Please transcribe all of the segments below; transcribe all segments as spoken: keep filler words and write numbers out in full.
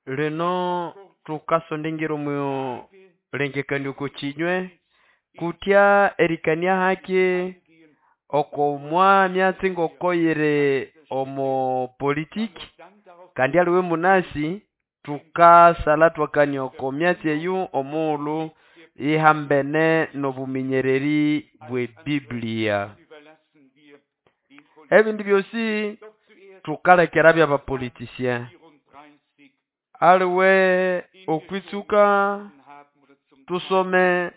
Lino tukasondengera omu lengekanio oko kinywe kutya erikania haki oko mwamyatsi ngoko yiri omo politiki kandi aliwe munasi tukasalha ithwakania oko myatsi eyo omughulhu ihambene nobuminyereri bwe biblia. Ebindi byosi tukalekera byabapolitisien. Aliwe okwitsuka tusome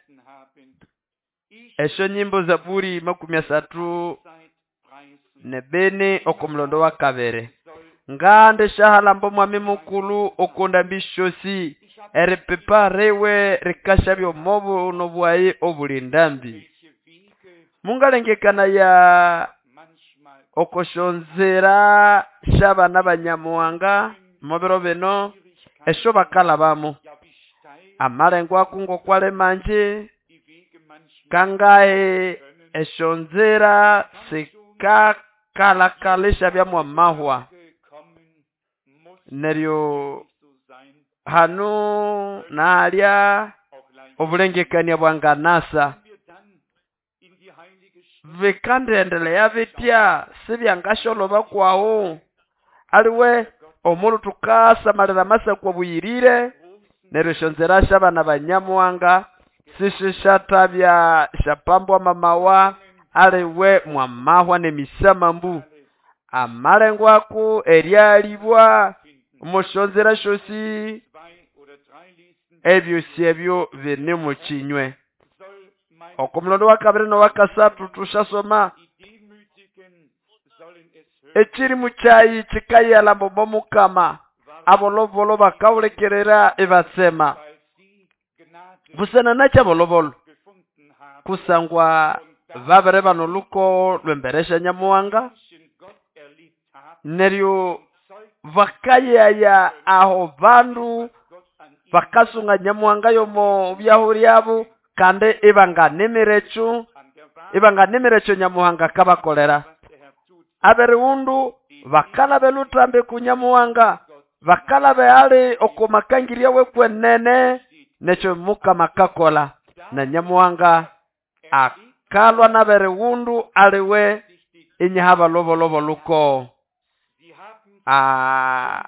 esyo nyimbo Zaburi makumi asathu nebini oko mulondo wa kabiri. Ngandi syahalamba omwami mukulhu oko ndambi syosi eripipa riwe rikasyabya omo buno bwayi obuli ndambi. Mungalengekanaya oko syonzira syabana ba Nyamuhanga omubiro bino esyo bakalhabamo. Amalengo ako ngokwali mangi kangahi esyonzira sikakalhakalha isyabya mwamahwa. Neryo hano nahalya obulengekania bwanganasa. Bikandiendelea bitya sibyangasyolhoba kwahu. Aliwe omulhu thukasamalira amasako abuyirire neryo esyonzira syabana ba Nyamuhanga sisisathabya syapambwa mwamawa aliwe mwamahwa nemisamambu. Amalengo ako eryalibwa omusyonzira syosi ebyosi ebyo bine mukinywe. Oko mulondo wa kabiri nowakasathu tusyasoma ekirimu kyayi kikayalamba omo mukama abolobolo bakawulikirira ibatsema. Busana nakyi abolobolo? Kusangwa babiri bana olukogo lwembere sya Nyamuhanga neryo bakayaya aho bandu bakasunga Nyamuhanga yomo byahu lyabo kandi ibanganimira ekyo ibanganimira ekyo Nyamuhanga akabakolera. Aberighundu bakalaba eluthambi ku Nyamuhanga bakalaba ali oko makangirya wekwenene nekyo Mukama akakola na Nyamuhanga akalwa naberighundu aliwe inyaha balobolobo luko. Ah,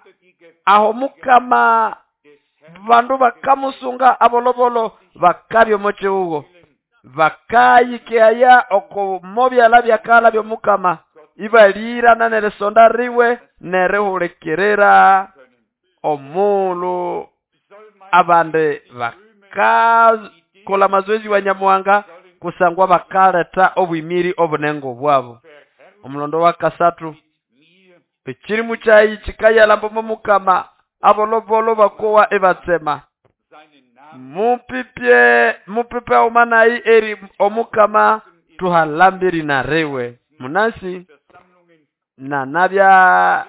aho Mukama bandu bakamusunga abolobolo bakabya omo kihugo bakayikeaya oko mobyalha byakalha byomukama ibalirana nerisonda riwe nerihulikirira omulhu abandi bakakolha amazoezi wa Nyamuhanga kusangwa bakaletha obwimiri obunengo bwabo. Omulondo wa kasathu ekirimu kyayi kikayalamba omo Mukama abolobolo bakowa ibatsema. Mupipye mupipe omanayi eri omukama tuhalambiri na riwe. Munasi nanabya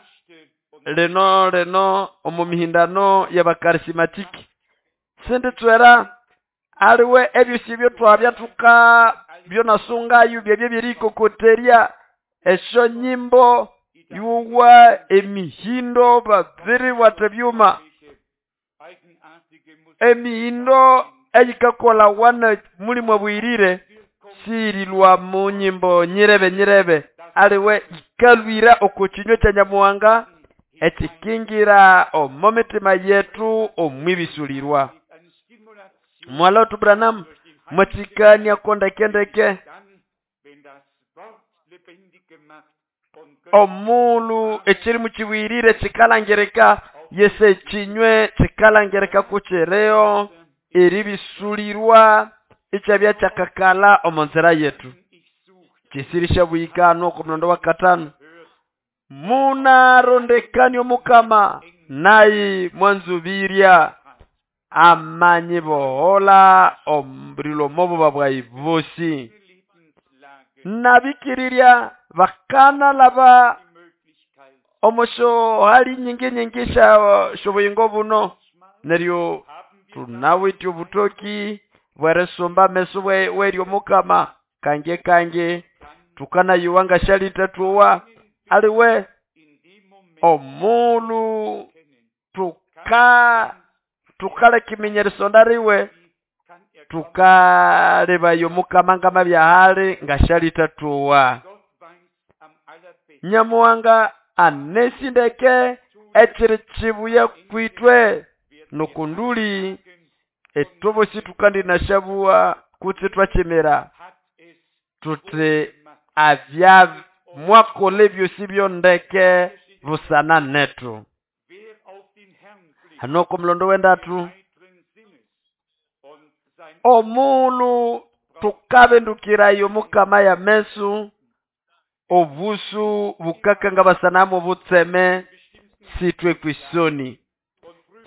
lino lino omu mihindano y'abakarismatiki sinditswera aliwe ebyosi ebyo twabya thuka byonasungayo byebyo byerikokoterya esyo nyimbo yuwa emihindo babiribwatha ebyuma emihindo eyikakola wana mulimu abwirire sirilwa mu nyimbo nyirebe nyirebe aliwe ikalwira oko kinywa kya Nyamuhanga ekikingira omo mitima yetu omwibisulirwa. Mwala wetu Branham mwachikania kondekendeke omulhu ekirimu kiwirire kikalangirika yese ekinywe kikalangirika kukireo eribisulirwa ikyabya kyakakala omo nzira yetu. Kisirisha buyikano oko mulondo wa katano munarondekania omukama nayi mwanzubirya amanyi bohola omulilo mobuba bwayi bosi. Nabikirirya bakanalaba omosho hali nyingi nyingi sha shobuyingo buno neryo tunawithe obutoki bwerisumba ameso weryo mukama kange kange tukanayiwa ngashalita tuwa Aliwe omulu tuka tukaleka iminya erisonda riwe tukalebayo Mukama ngamabyahali ngashalithatowa. Nyamuhanga anesindeke ekiri kibuya kwitwe nokunduli etobosi tukandinashabuwa kutse twakimira tuti avya mwakola ebyosi byondeke busana netu. Hanoko mulondo wendatu omulu tukabendukirayo Mukama ya mesu obusu bukakanga basanamu butseme sitwe kwisoni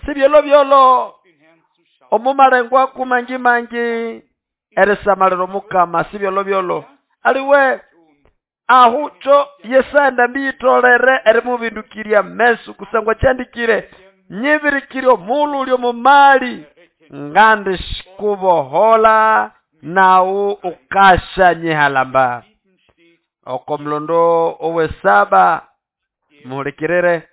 sibyolo byolo omumalengwa kumangi mangi erisamalira Mukama sibyolo byolo aliwe ahucho yesanda mbiyitolere erimubindukiria mesu kusangwa kyandikire nyibirikire omulu ulyo mumali ngandi shikubohola nawu ukasha nyihalamba. Oko mlondo owesaba muhulikirire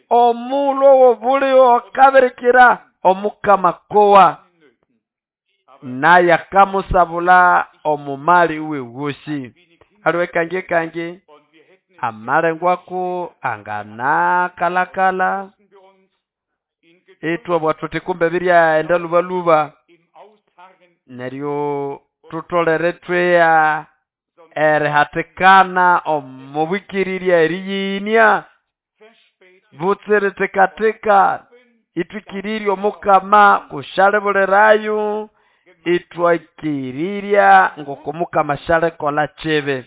omulu owobulio akabirikira Omukama kowa naye akamusabula omumali uwe wosi. Aliwe kangi kangi amalengwako anganakalakala itwe bwathuthi kumbe birya enda lubaluba neryo tutolere tweya erihatikana omubwikirirya eriyinia butsiritikateka itwikirirya Omukama kushalibulirayo itwakirirya ngoko Mukama shalikola kibi.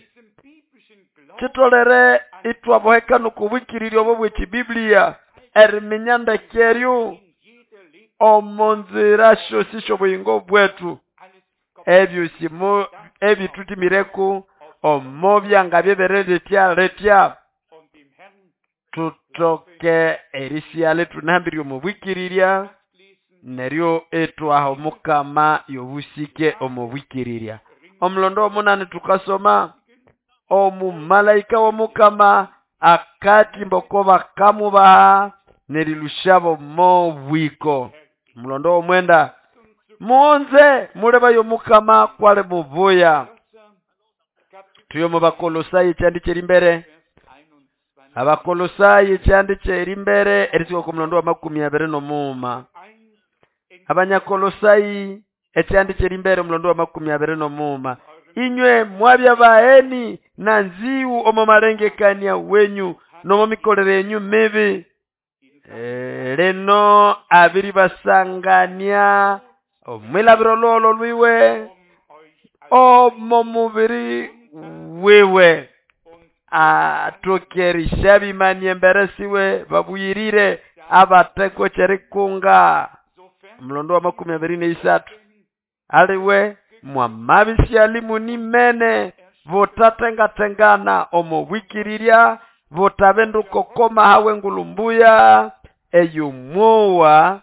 Kitolere itwaboheka nokubwikirirya obo bw'ekibiblia eriminya ndekeryo omonzira syosi sy'obuyingo bwetu ebyosimo ebitutimireku omobyanga byebereretya letya tutoke erisiale tunahambirye omubwikirirya neryo etwaha Omukama yobusike omubwikirirya. Omulondo omunani tukasoma omumalaika w'Omukama akatimba oko bakamubaha nerilushabo mobwiko. Omulondo omwenda muonze mulebayo Mukama kwali mubuya. Tuyo mu Bakolosai ekyandi kyeri mbere Abakolosai ekyandi kyeri mbere erisuka ku mulondo wa makumi abiri n'omuuma. Abanyakolosai ekyandi kyeri mbere omulondo wa makumi abiri n'omuuma. Inywe mwabya baeni na nziwu omo malengekania wenyu nomo mikolere yenyu mibi. E, leno abiri basangania omwilabiro lolo lwiwe omo mubiri wiwe atokerisha bimanye embere siwe babuyirire abateko kyerikunga. Omulondo wa makumi abiri n'isatu aliwe mwamabisya nimene butatengatengana omubwikirirya butabendukokoma hawe ngulumbuya eyumwowa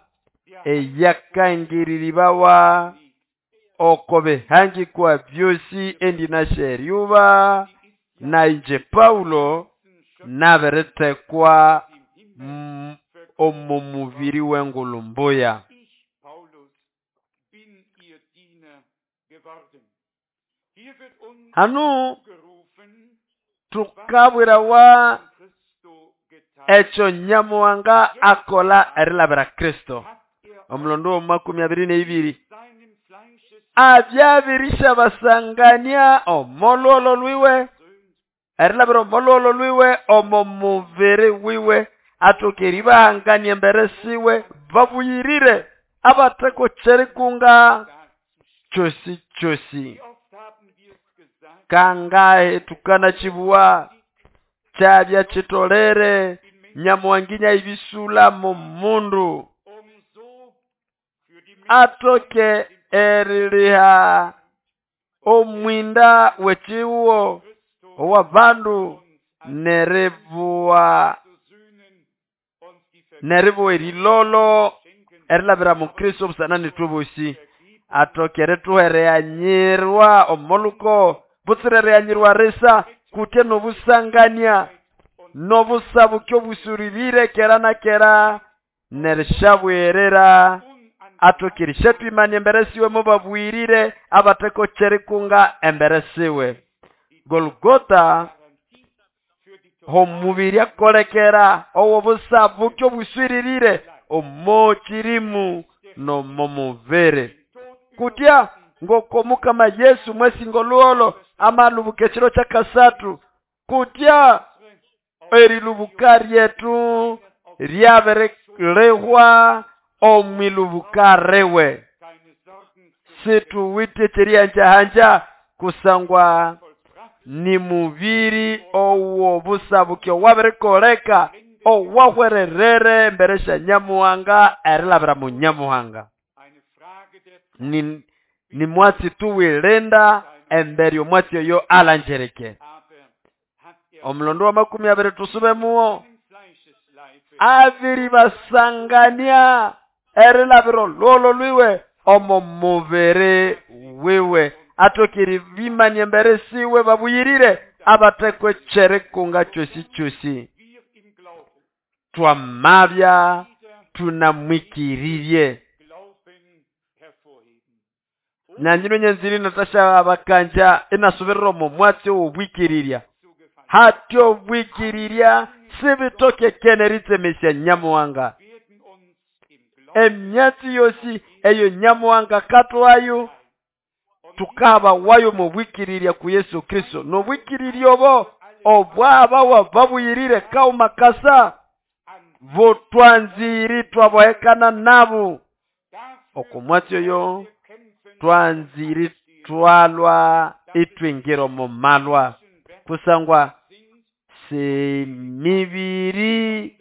eyakangiriribawa oko bihangikwa byosi endinasheryuba na inje Paulo naberetekwa omu mubiri w'engulumbuya. Hanu tukabwirawa ekyo Nyamuhanga akola erilabira Kristo. Omulondo wa makumi abiri n'ebiri abyabirisha basangania omololo lwiwe erilabira omololo lwiwe omo mubiri wiwe atokeribahangania embere siwe babuyirire abateko kyerikunga kyosi kyosi. Kangahe tukana chibuwa kyabya kitolere Nyamuhanginya ibisula mu mundu atoke eriliha omwinda wechiwo owa bandu nerebuwa neribuwa erilolo erilabira mu Kristo busana nitubusi atoke erituhereanyirwa omoluko butsirereanyirwa risa kutya n'obusangania n'obusabuki obusuririre kera na kera nerishabwerera atokirisha twimania embere siwe mubabwirire abatekocherikunga embere siwe. Golgota homubiri akolekera owo busabuki obusuririre omochirimu nomomubere kutya ngoko mukama Yesu mwesingo luolo amalubuka ekiro kya kasatu kutya erilubuka ryetu ryabirilehwa omwilubuka rewe situwite kyerihanjahanja kusangwa ni mubiri owo busabuki owabirikoleka owahwererere mbere sya Nyamuhanga erilabira mu Nyamuhanga. Ni, ni mwatsi tuwilenda embere omwatsi oyo alanjereke. Omulondo wa makumi abiri tusube muwo abiri basangania erilabiro lolo lwiwe omo mubiri wiwe atokiri bimanye embere siwe babuyirire abatekwe cherikunga chosi chosi. Twamabya tunamwikiririe nanyino nyenziri natasha abakanja inasubirira omo mwatsi obwikiriria hatyo obwikiriria sibitoke keneritsemesya Nyamuhanga. Emyatsi yosi eyo Nyamuhanga katwayo tukaba wayo mubwikiriria ku Yesu Kristo nobwikiriria obo obwaba babuyirire kauma kasa botwanziri twabohekana nabo okumwatsi oyo twanziri twalwa itwingiro mu malwa kusangwa se mibiri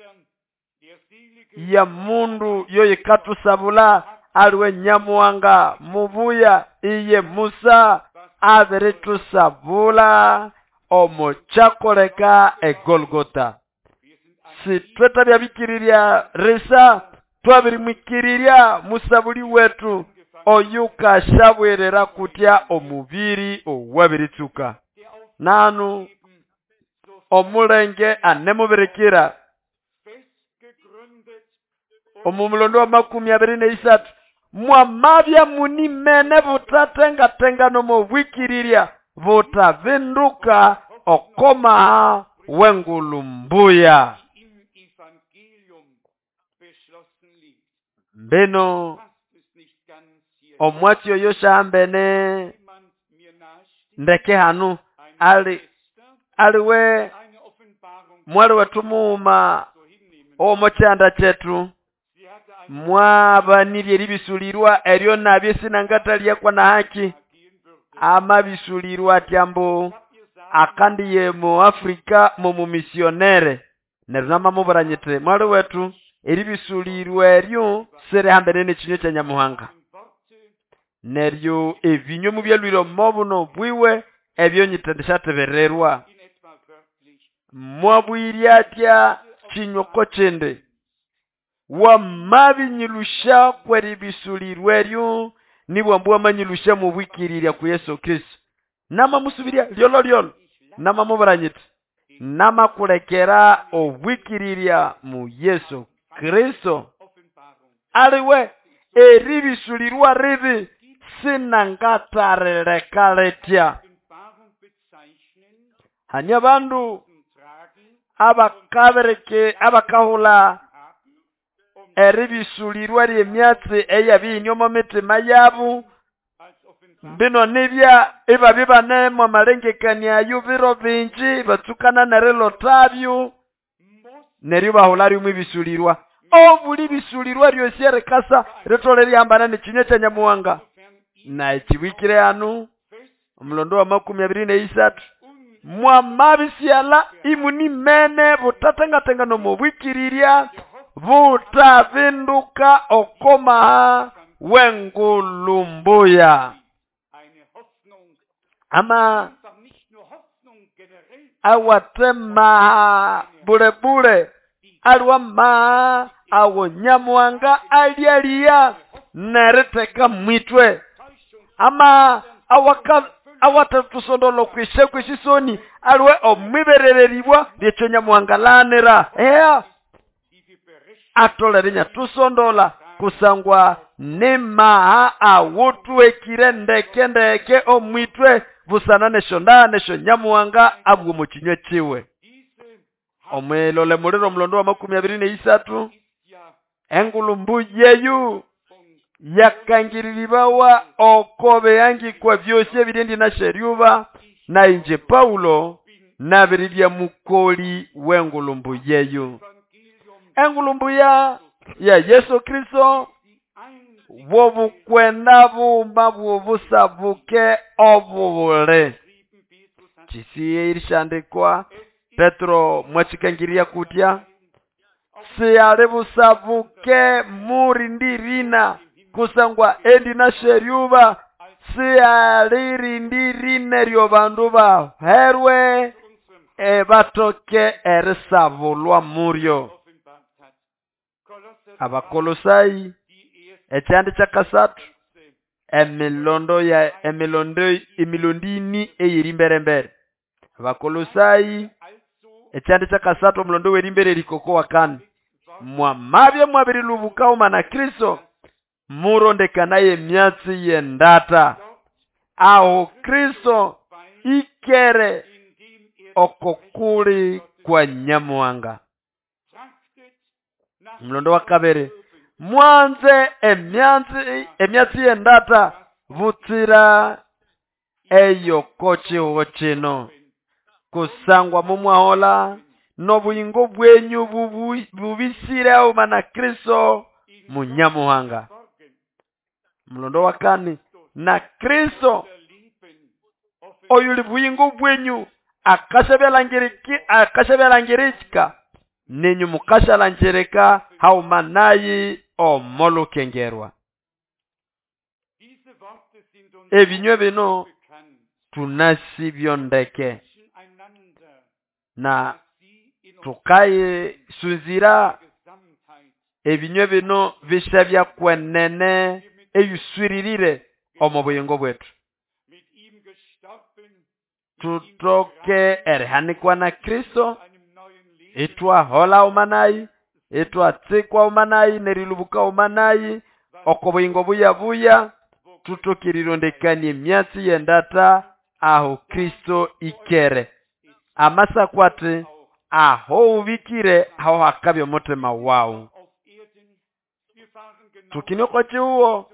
ya mundu yoyikatusabula aliwe Nyamuhanga mubuya iye Musa abiritusabula omo kyakoleka eGolgota. Sitwetabya bikiriria risa twabirimwikiriria musabuli wetu oyukashabwerera kutya omubiri owabiritsuka nanu omulenge anemubirikira. Omumulondo wa makumi abiri neisatu mwamabya munimene butatengatenga nomobwikiriria butavinduka okomaha wengulumbuya. Mbeno omwatsi oyo shambene ndeke hanu ali aliwe mwali wetu muuma omo kyanda kyetu mwabanirye eribisulirwa eryo nabyo sinangataliakwa na haki amabisulirwa atyambo akandiye mu Afrika mu mumisionere neryo namamuburanyite mwali wetu eribisulirwa eryo sirihambene n'ekinyo kya Nyamuhanga neryo ebinyo mubyalwire omo buno bwiwe ebyo nyitendishatebererwa mwabwirya atya kinyoko kindi wamabinyilusha kweribisulirwa eryo nibwambu wamanyilusha mubwikirirya ku Yesu Kristo namamusubiria lyolo lyolo namamuburanyite namakulekera obwikirirya mu Yesu Kristo aliwe eribisulirwa ribi sinangatareleka letya. Hanya bandu abakabereke abakahula eribisulirwa lyemyatsi eyabinyoma mitima yabu bino nibya ibabi banemo amalengekania ayo biro bingi batsukana nerilotabyo neryo bahula rimwe ibisulirwa obuli bisulirwa ryosi erikasa ritole ryambana n'ekinyo kya Nyamuhanga na ekiwikire hanu omulondo wa makumi abiri neisatu mwamabisyala imunimene butatengatenga nomubwikirirya butavinduka okomaha wengulumbuya ama awatemaha bulebule aliwamaha awo Nyamuhanga alyalia neriteka mwitwe ama awaka awatatusondola okwisha kw'esisoni aliwe omwiberereribwa lyekyo nyamuhangalanira eya atolere nyatusondola kusangwa nemaha awotwekire ndeke ndeke omwitwe busana neshonda nesho nyamuhanga abwo mu kinywa kiwe. Omwilole muliro omulondo wa makumi abiri neisatu engulumbu yeyu yakangiriribawa okobe yangikwa byosi ebirindi na sheryuba na inje Paulo nabiribya mukoli w'engulumbu yeyu. Engulumbu ya ya Yesu Kristo bwobukwenda bumba bwobusabuke obubule kisiye irishandikwa Petro mwachikangiria kutya siyali busabuke murindirina kusangwa endi na sheryuba siyalirindirine ryo bandu baherwe ebatoke erisabulwa muryo. Abakolosai ekyandi kyakasathu emilondo ya emilondo emilondini eyeri mberembere. Abakolosai ekyandi kyakasathu omulondo werimbere erikoko wakane mwamabye mwabirilubuka umana Kristo murondekanaye emyatsi yendata aho Kristo ikere okokuli kwa nyamuhanga. Mulondo wa kabere mwanze emyatsi emyatsi yendata butsira eyo kochiho kino kusangwa mumwahola nobuyingo bwenyu bubisire umana Kristo munyamuhanga. Mulondo wa kane na Kristo oyuli buyingo bwenyu akashabyalangiriki akashabyalangirika nenyu mukashalangereka haumanayi omolukengerwa. Ebinywe bino tunasibyondeke na tukaye sunzira ebinywe bino bishabya kwenene eyuswiririre omu buyingo bwetu. Tutoke erihanikwa na Kristo itwahola umanayi itwatsikwa umanayi nerilubuka umanayi oko buyingo buya buya tutokirirondekanie emyatsi yendata aho Kristo ikere amasakwate aho ubikire aho hakabya omutima wawu. Tukinoko chiuwo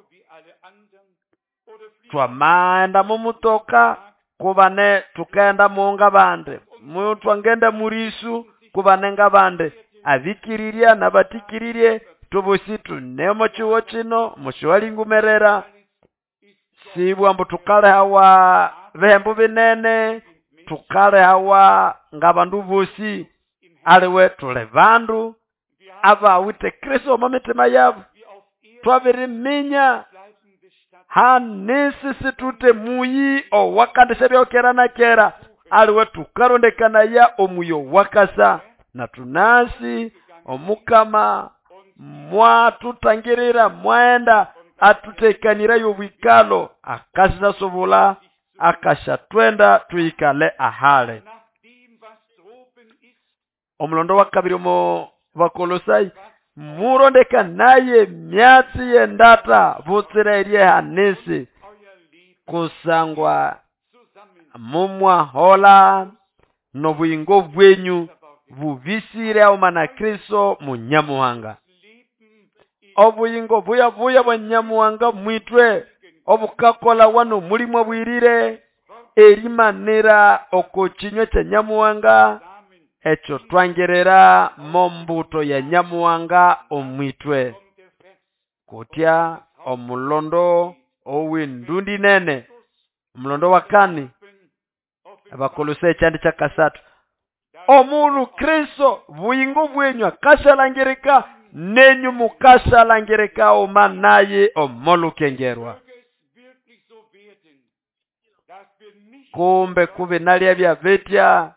twamaenda mumutoka kubane tukaenda muonga bande mutwangenda murisu kubanenga bande abikiriria nabatikiririe tubosi tunemo chiwo chino mushiwalingumerera sibwa mbu tukale hawa bihembo binene tukale hawa ngabandu bosi aliwe tule bandu abawite Kristo omu mitima yabo twabiriminya hanisi situte muyi owakandisha byokera na kera aliwe tukarondekana ya omuyo wakasa na tunasi omukama mwatutangirira mwaenda atutekanira yobwikalo akasisasobula akashatwenda tuikale ahale. Omulondo wa kabiri omo Bakolosai murondeka naye myatsi yendata butsira erye hanisi kusangwa mumwahola nobuyingo bwenyu bubisire aumana Kristo munyamuhanga. Obuyingo buya buya bwa nyamuhanga mwitwe obukakola wano mulimwa bwirire erimanira oko kinywa kya nyamuhanga ekyo twangerera mombuto ya nyamuhanga omwitwe kutya omulondo ow'endundi nene. Omulondo wa kane Abakolosai ekyandi kyakasathu omulu Kristo buyingo bwenyu akashalangirika nenyu mukashalangirika omanaye omolukengerwa. Kumbe kube nalya bya betya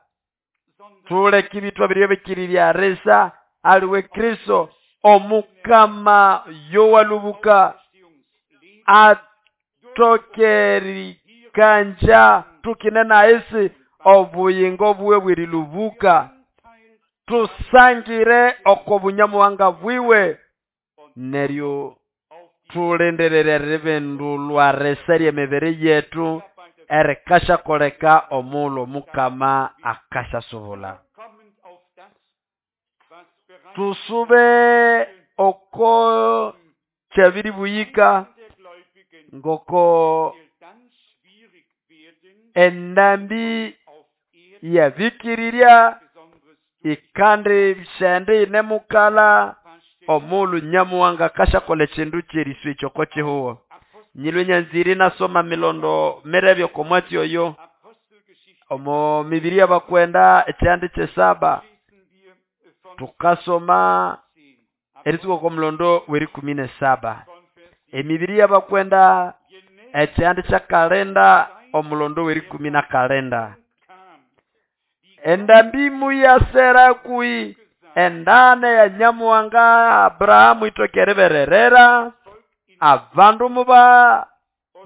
tuleke ibitwa biryo bikirirya resa aliwe Kristo omukama yowalubuka atokeri erikanja tukine na isi obuyingo bwiwe bwerilubuka tusangire oko bunyamuhanga bwiwe neryo tulindirire eribindulwa risa ly'emibiri yetu erikashakoleka omulo mukama akashasubula. Tusube oko kyabiri buyika ngoko endambi yabikirirya ikandi shende ine mukala omulu nyamuhanga akashakola ekindu kyerisu ekyo oko kihuho. Nyilwe nyanzire nasoma milondo mirebye oko mwatsi oyo omo mibiri y'abakwenda ekyihanda kyesaba tukasoma eritsuka oko mulondo w'erikumi n'esaba. Emibiri y'abakwenda ekyihanda kyakalinda omulondo w'erikumi n'akalinda. Endambi muyasera kui endane ya nyamuhanga Abrahamu itoke eribererera abandu muba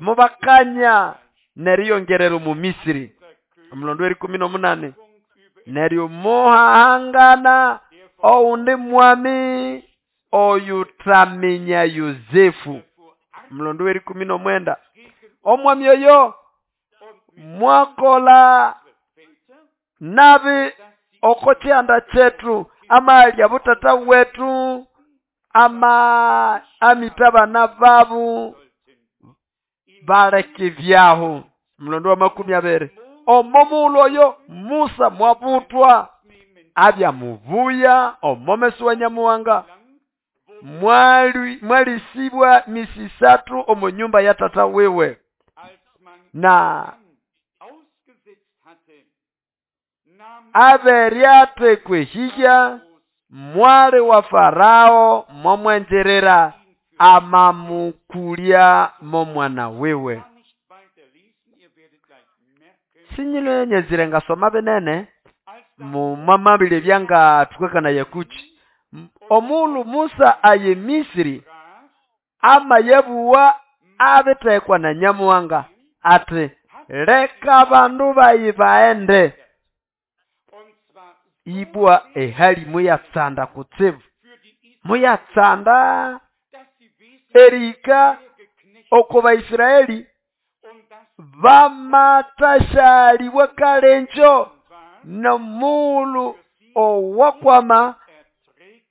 mubakanya neriyongerera omu Misiri. Omulondo w'erikumi n'omunani neryo muhahangana owundi mwami oyutaminya Yosefu. Omulondo w'erikumi n'omwenda omwami oyo mwakola nabi oko kyihanda kyetu amalya butata wetu ama amita abana babu baleka ebyaho. Omulondo wa makumi abiri omo mughulhu oyo Musa mwabutwa abya mubuya omomesi wa nyamuhanga mwali mwalisibwa misi isathu omu nyumba ya tata wiwe na aberyathekwa ehihya mwali wa Farao momwenjerera amamukulya momwana wiwe. Sinyilwe nyazire ngasoma binene mumamabile byanga tukakana yakuchi. Omulu Musa aye Misiri ama yebuwa abitekwa na nyamuhanga ati leka abandu bayi baende. Ibwa ehali muyatsanda kutsibu muyatsanda erika oko Baisiraeli bamatashalibwa kalenjo nomulu owakwama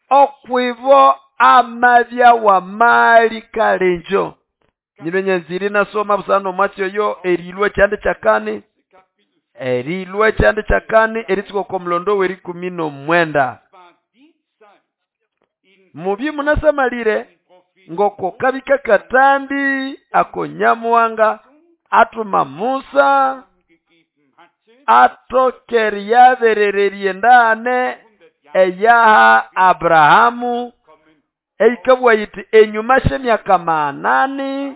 okwibo amabya wa mali kalenjo. Nyilwe nyanziri nasoma busana omwatsi oyo erilwa ekyanda kyakani erilwa ekyanda kyakani eritsuka oko mulondo w'erikumi n'omwenda. Mubye munasamalire ngoko kabika katambi ako nyamuhanga atuma Musa atokeri yaberererye endane eyaha Abrahamu eikabwa yiti enyuma sh'emyaka manani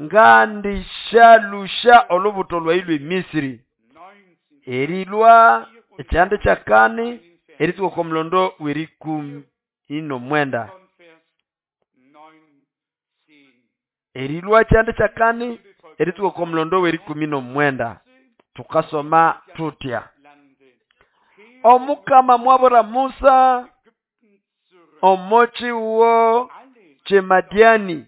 ngandishalusha olubuto lwailwe Misiri. Erilwa ekyanda kyakani eritsuka oko mulondo w'erikumi n'omwenda. Erilwa ekyanda kyakani eritsuka oko mulondo w'erikumi n'omwenda tukasoma tutya. Omukama mwabura Musa omochi uwo Chemadiani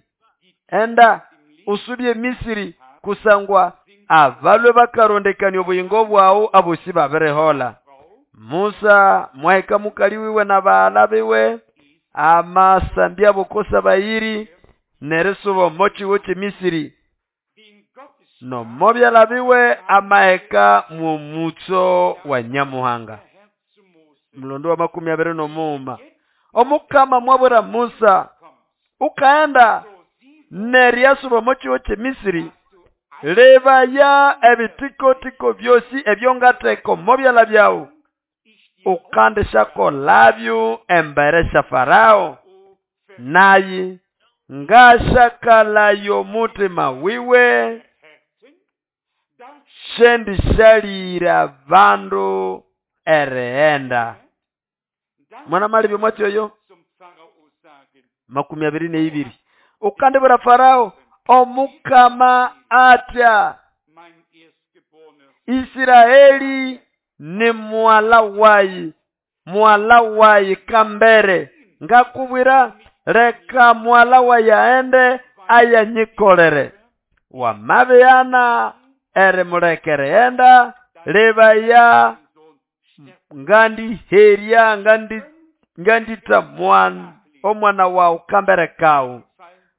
enda usubye Misiri kusangwa abalwe bakarondekania obuyingo bwawu abosi babirehola. Musa mwahika mukali wiwe na baala biwe amasambya bokosa bayiri nerisuba omochi wo Chimisiri nomobyala biwe amaheka mwomutso wa nyamuhanga. Mulondo wa makumi abiri n'omuuma omukama mwabura Musa ukaenda neryasuba omochi wo Chimisiri lebaya ebitikotiko byosi ebyongateko mobyala byawu ukandishakolabyo embere sha Farao nayi ngashakalayo mutima wiwe shendishalira bandu ereenda. Mwana mali byomwatsi oyo makumi abiri n'ibiri ukandibura Farao omukama atya Isiraeli ni mwala wayi, mwala wayi kambere. Ngakubwira leka mwala wayi aende ayanyikolere. Wamabihana erimulekere enda lebaya ngandiherya ngandi ngandita mwana omwana wawu kambere kawu.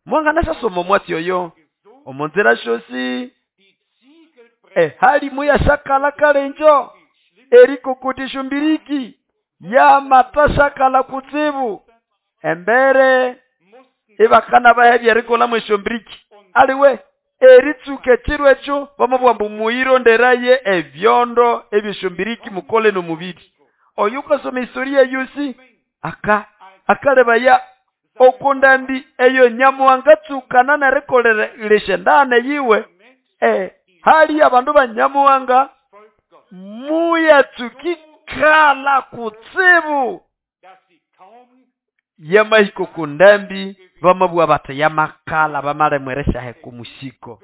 Mwanganashasoma omwatsi oyo omunzira shosi ehali muyashakala kalenjo erikokotisha mbiriki yamatasakala kutsibu embere ibakana bahebya erikola mweshombiriki aliwe eritsuka ekiro ekyo bamabwamba muyironderaye ebyondo ebyeshombiriki mukole nomubiri. Oyo ukasoma historia yosi aka akalebaya okundambi eyo Nyamuhanga tsukana nerikolelesha ndane yiwe eh hali abandu ba Nyamuhanga muyatsukikala kutsibu yamahiko kundambi bamabwa bati yamakala bamalemweresha kumusiko.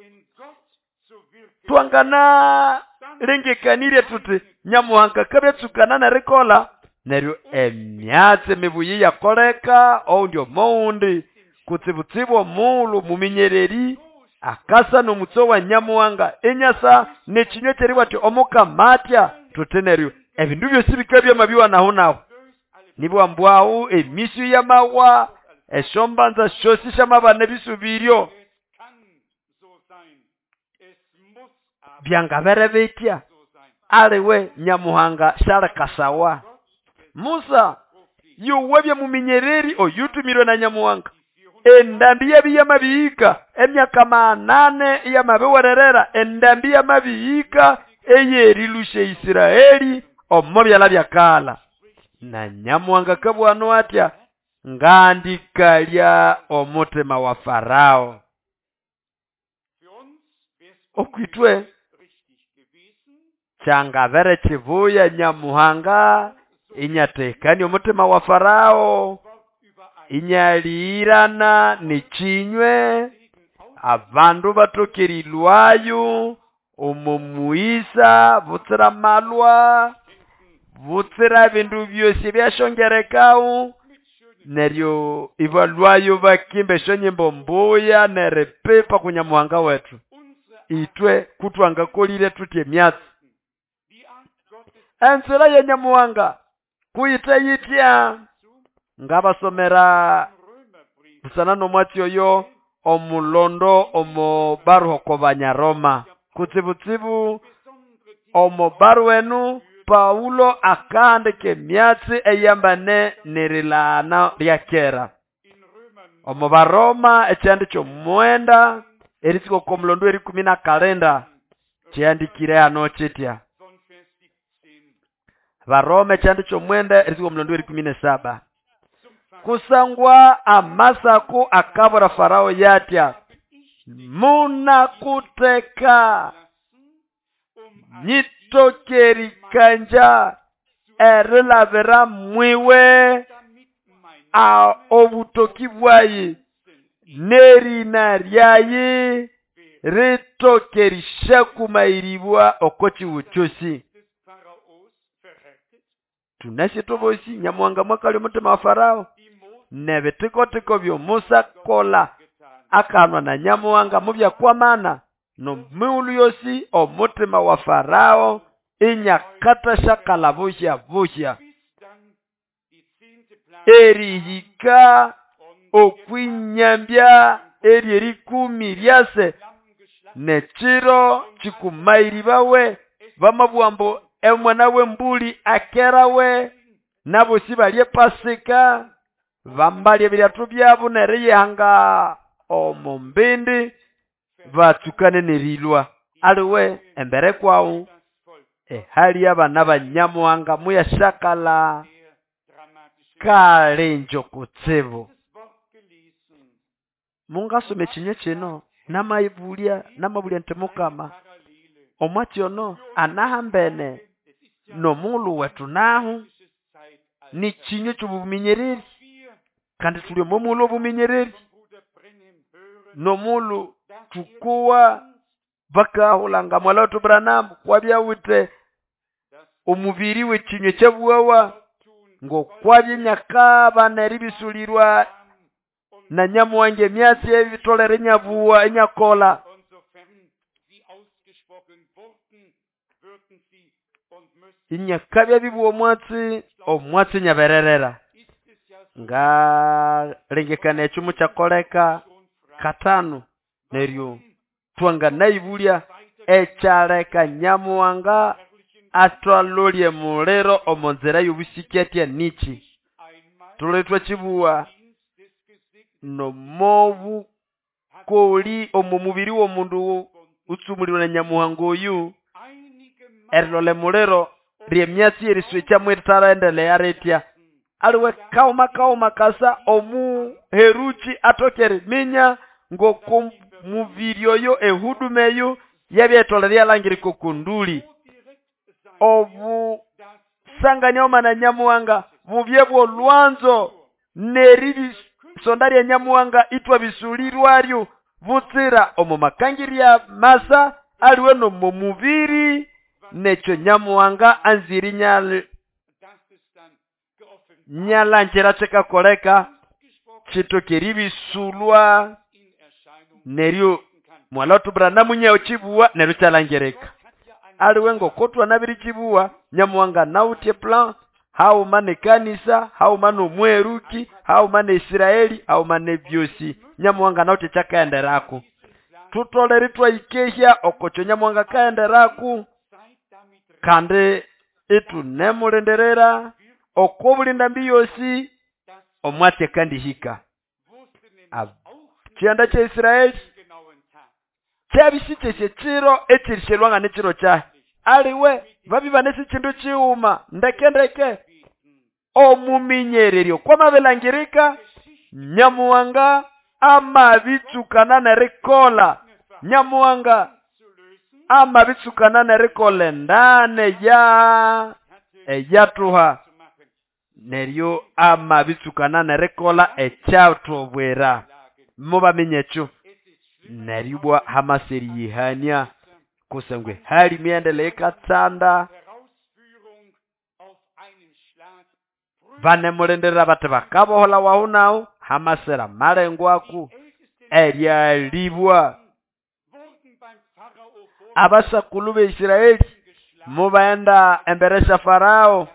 Twangana lengekanire tuti Nyamuhanga kabyatsukana nerikola neryo emyatsi mibuyi yakoleka oundi omoundi kutsibutsibu omuulu muminyereri akasa nomutso wa Nyamuhanga enyasa nekinywa kyeribwati omukamatya tuti neryo ebindu byosi bikabya mabiwa nahu nahu nibwa mbwahu emisu yamawa eshombanza shosi shamabana bisubiryo byangabere bitya aliwe Nyamuhanga shalekasawa. Musa yuwebye muminyereri oyutumirwe na Nyamuhanga endambi yabiyamabihika emyaka manane iyamabiwererera endambi yamabihika eyerilusha Isiraeli omo byala byakala. Na Nyamuhanga kabwano atya ngandikalya omutima wa Farao. Okwitwe kyangabere kibuya Nyamuhanga inyatekani omutima wa Farao inyalirana nichinywe abandu batokerilwayo omumuisa butsira malwa butsira bindu byosi byashongerekawu neryo ibalwayo bakimba eshonyimbo mbuya nerepepa kunyamuhanga wetu. Itwe kutwangakolire tutye myatsi enzira ya Nyamuhanga kuyita yitya. Ngabasomera busana nomwatsi oyo omulondo omo baruho ko Banyaroma kutsibutsibu omo baru enu Paulo akaandika emyatsi eyambane nerilana lya kera. Omo Baroma ekyandi kyomwenda eritsiko komulondo erikumi na kalenda kyandikire hano kitya. Baroma ekyandi kyomwenda eritsiko komulondo erikumi na saba. Kusangwa amasaku akabura Farao yatya munakuteka nyitokerikanja erilabira mwiwe a obutoki bwayi nerina ryayi ritokerishakumairibwa okochiwuchosi. Tunashe tobosi Nyamuhanga mwakali omutima wa Farao nebitikotiko byo Musa kola akanwa na Nyamuhanga mubyakwamana nomiulu yosi omutima wa Farao inyakata shakala buhya buhya erihika okwinyambya eri erikumi ryase nekiro kikumairi bawe bamabwambo emwana w'embuli akerawe nabosi balye Pasika bambalye ebiryathu byabo neriyihanga omumbindi batsukane nerilwa. Aliwe embere kwawu ehali abana ba Nyamuhanga muyashakala kalenjo kutsibu. Mungasome ekinywa kino namayibulya namabulya nti Mukama omwatsi ono anahambene nomulu wetu nahu ni kinywa ky'obuminyereri kandi tuli omomulu obuminyereri nomulu tukuwa Bakahulanga mwala Branham kwabyawite omubiri w'ekinywa ekyabuwawa ngokwabye nyakabana eribisulirwa na Nyamuhanga emyatsi ebitolere enyabuwa enyakola. Inyakabya bibuwa omwatsi omwatsi nyabererera. Ngalengekana ekyo mukyakoleka katano neryo twanganayibulya ekyaleka Nyamuhanga atwalolye muliro omo nzira y'obusiki atya niki. Tulwe twakibuwa nomobukoli omo mubiri w'omundu utsumulirwe na Nyamuhanga oyu erilole muliro ry'emyatsi y'eriswekya mwitaraendelea ritya. Aliwe kauma kauma kasa omuheruki atoke eriminya ng'oku mubiri oyo ehuduma eyo yabyetolere yalangirika okunduli. Obusangania oma na Nyamuhanga bubye bw'olwanzo neribisonda lya Nyamuhanga itwabisulirwaryo butsira omo makangirya masa aliwe nomo mubiri nekyo Nyamuhanga anziri nyal nyalangira kyikakoleka kitoke eribisulwa neryo mwalatu Branham nyawo kibuwa neryo kyalangirika. Aliwe ngokotwa nabiri kibuwa Nyamuhanga nawutye plan hauma nekanisa hauma nomweruki hauma ne Israeli hauma nebyosi. Nyamuhanga nawutye kyakaenderako. Tutolere twayikehya okokyo Nyamuhanga kaenderaku kandi itunemulindirira okobulinda mbi yosi omwatsi kandi hika. Kyanda kya Israeli kyabisikyesye kiro ekirishelwanga nekiro kyahe. Aliwe babibanesi kindu kiwuma ndeke ndeke omuminyereryo kwamabelangirika Nyamuhanga amabitsukana nerikola. Nyamuhanga amabitsukana nerikola endane ya eyatuha neryo amabitsukana nerikola ekyatubwira. Mubamenye ekyo neribwa hamaseri yihania kusangwe hali miendele ikatsanda vanemulindira bati bakabohola wahu nawu hamasera malengwaku eryalibwa. Abasakulu be Israeli mubaenda embere sya Farao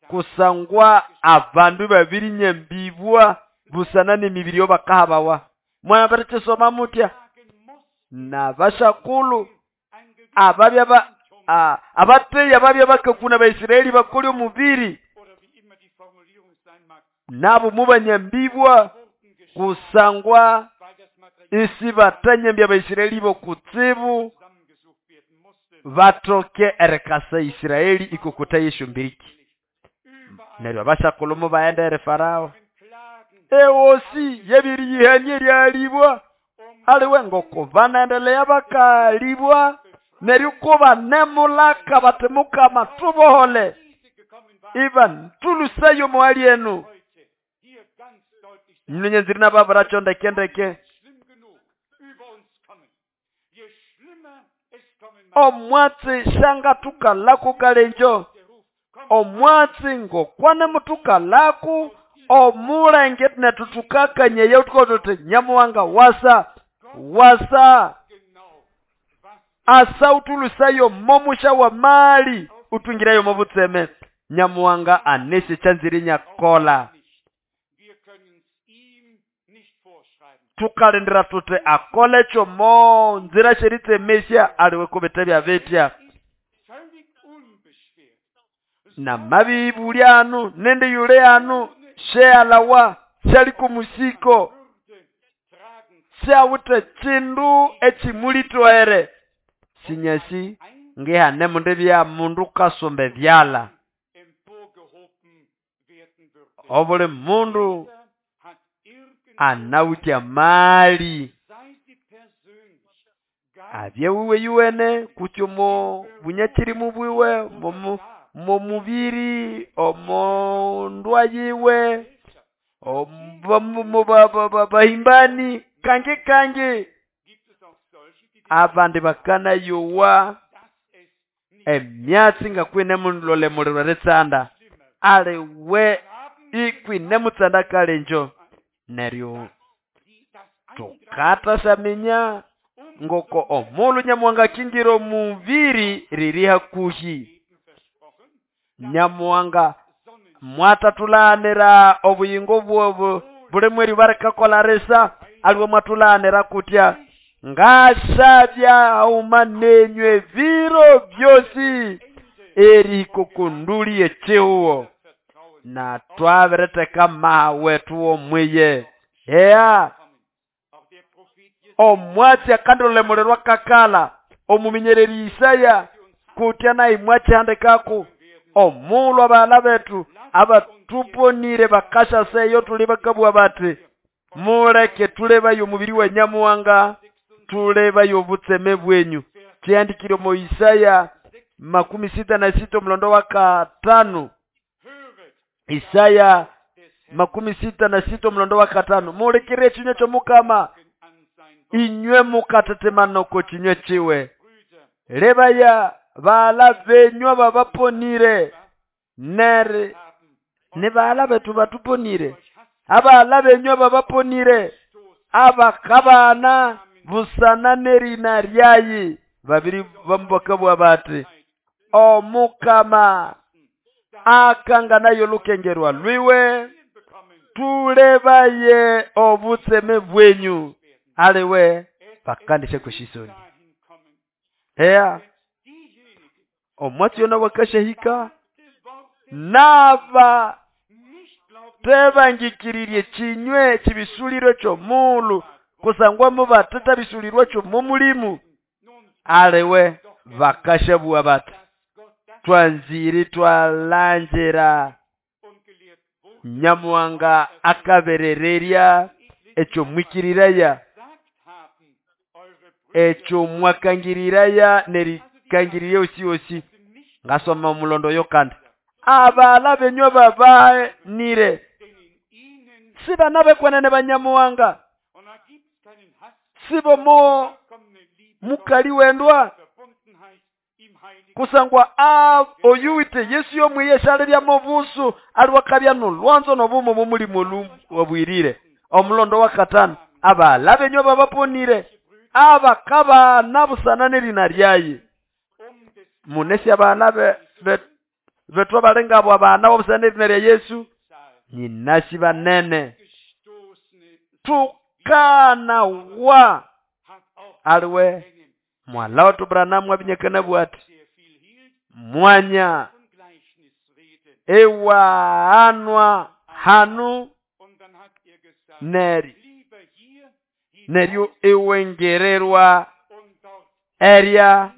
kusangwa abandu babiri nyambibwa busana n'emibiri yobakahabawa. Mwabirikisoma mutya n'abasakulu ababya ba abateya babya bakakuna Baisraeli bakoli omubiri nabo mubanyambibwa kusangwa isi batanyambya Baisraeli bokutsibu batoke erekasa Israeli ikokota yeshumbiriki. Neryo abasakulu mubaenda ere Farao ewosi yebiri yihanie lyalibwa. Aliwe ngoko banaendelea bakalibwa neryo kuba nemulaka bati Mukama tubohole iba tulusayo mwali enu. Nyenyenziri nababuracho ndeke ndeke omwatsi shanga tukalaku kalenjo omwatsi ngokwane mutukalaku omulenge netutukakanye yautukotote Nyamuhanga wasa wasa asa utulusayo momusha wa mali utungirayo mobutseme. Nyamuhanga anesi kyanziri nyakola. Tukalindira tute akole kyo nzira sheritsemesya aliwe kubete bya betya na mabibulyanu nende yule anu shealawa shali kumusiko syawute kindu ekimulitwere sinyasi ngehane mundu bya mundu kasombe byala. Obuli mundu anawutya mali abye wiwe yuwene kutyo mo bunyakirimu bwiwe momu momubiri omo ndwa yiwe omo bahimbani kange kange Abandi bakanayowa emyatsi nga kwine mulolemulirwa eritsanda, aliwe ikwine mutsanda kalenjo. Neryo tukatasaminya ngoko omulhu Nyamuhanga akingira omubiri riri hakuhi. Nyamuhanga mwatathulanira obuyingo bwobu buli mweryo barikakola risa, aliwe mwathulanira kutya ngasabya haghuma nenywe ebiro byosi erihika oko nduli y'ekihugo. Na twabiritheka amaha wethu w'omwiye. Ea omwatsi akandilolemulirwa kakala omuminyereri Isaya kutya naye mwakihandikako omulhu abaghala bethu abatuponire bakashasa eyo tuli bakabugha bati muleke tulebaye omubiri wa Nyamuhanga, tulebaye obutseme bwenyu. Kihandikire omo Isaya makumi sita na sita omulondo wa katano. Isaya makumi sita na sita omulondo wa katano. Mulikire ekinywa ky'omukama inywe mukatetemana oko kinywa kiwe. Lebaya baghala benyu ababaponire neri ni baghala bethu batuponire, abaghala benyu ababaponire abakabana busana nerina ryayi. Babiri bamubakabwa bati omukama akanganayo olukengerwa lwiwe, tulebaye obutseme bwenyu. Aliwe bakandishe kweshisoni. Ea omwatsi yona wakashahika naba tebangikiririe kinywe kibisuliro ky'omulu kusangwa mubateta bisulirwa ky'omulimu. Aliwe bakashabua bati twanziri twalanjira Nyamuhanga akaberererya ekyo mwikiriraya ekyo mwakangiriraya nerikangirire osi osi. Ngasoma omulondo yo kandi abala benywa babanire siba nabekwenene banyamuhanga sibo mo mukali wendwa kusangwa a oyuwite Yesu yomwiye shalirya mobusu aliwakabya nolwanzo nobumo mumulimu wabwirire. Omulondo wa katano abala benywa babaponire abakaba nabusana nerina ryayi. Munesi abana be, be betwa balengabo abana babusana nerina rya Yesu nyinasi banene tukana wa aliwe mwala watu Branamu abinyekana bwati mwanya ewa anwa hanu neri neryo ewengererwa erya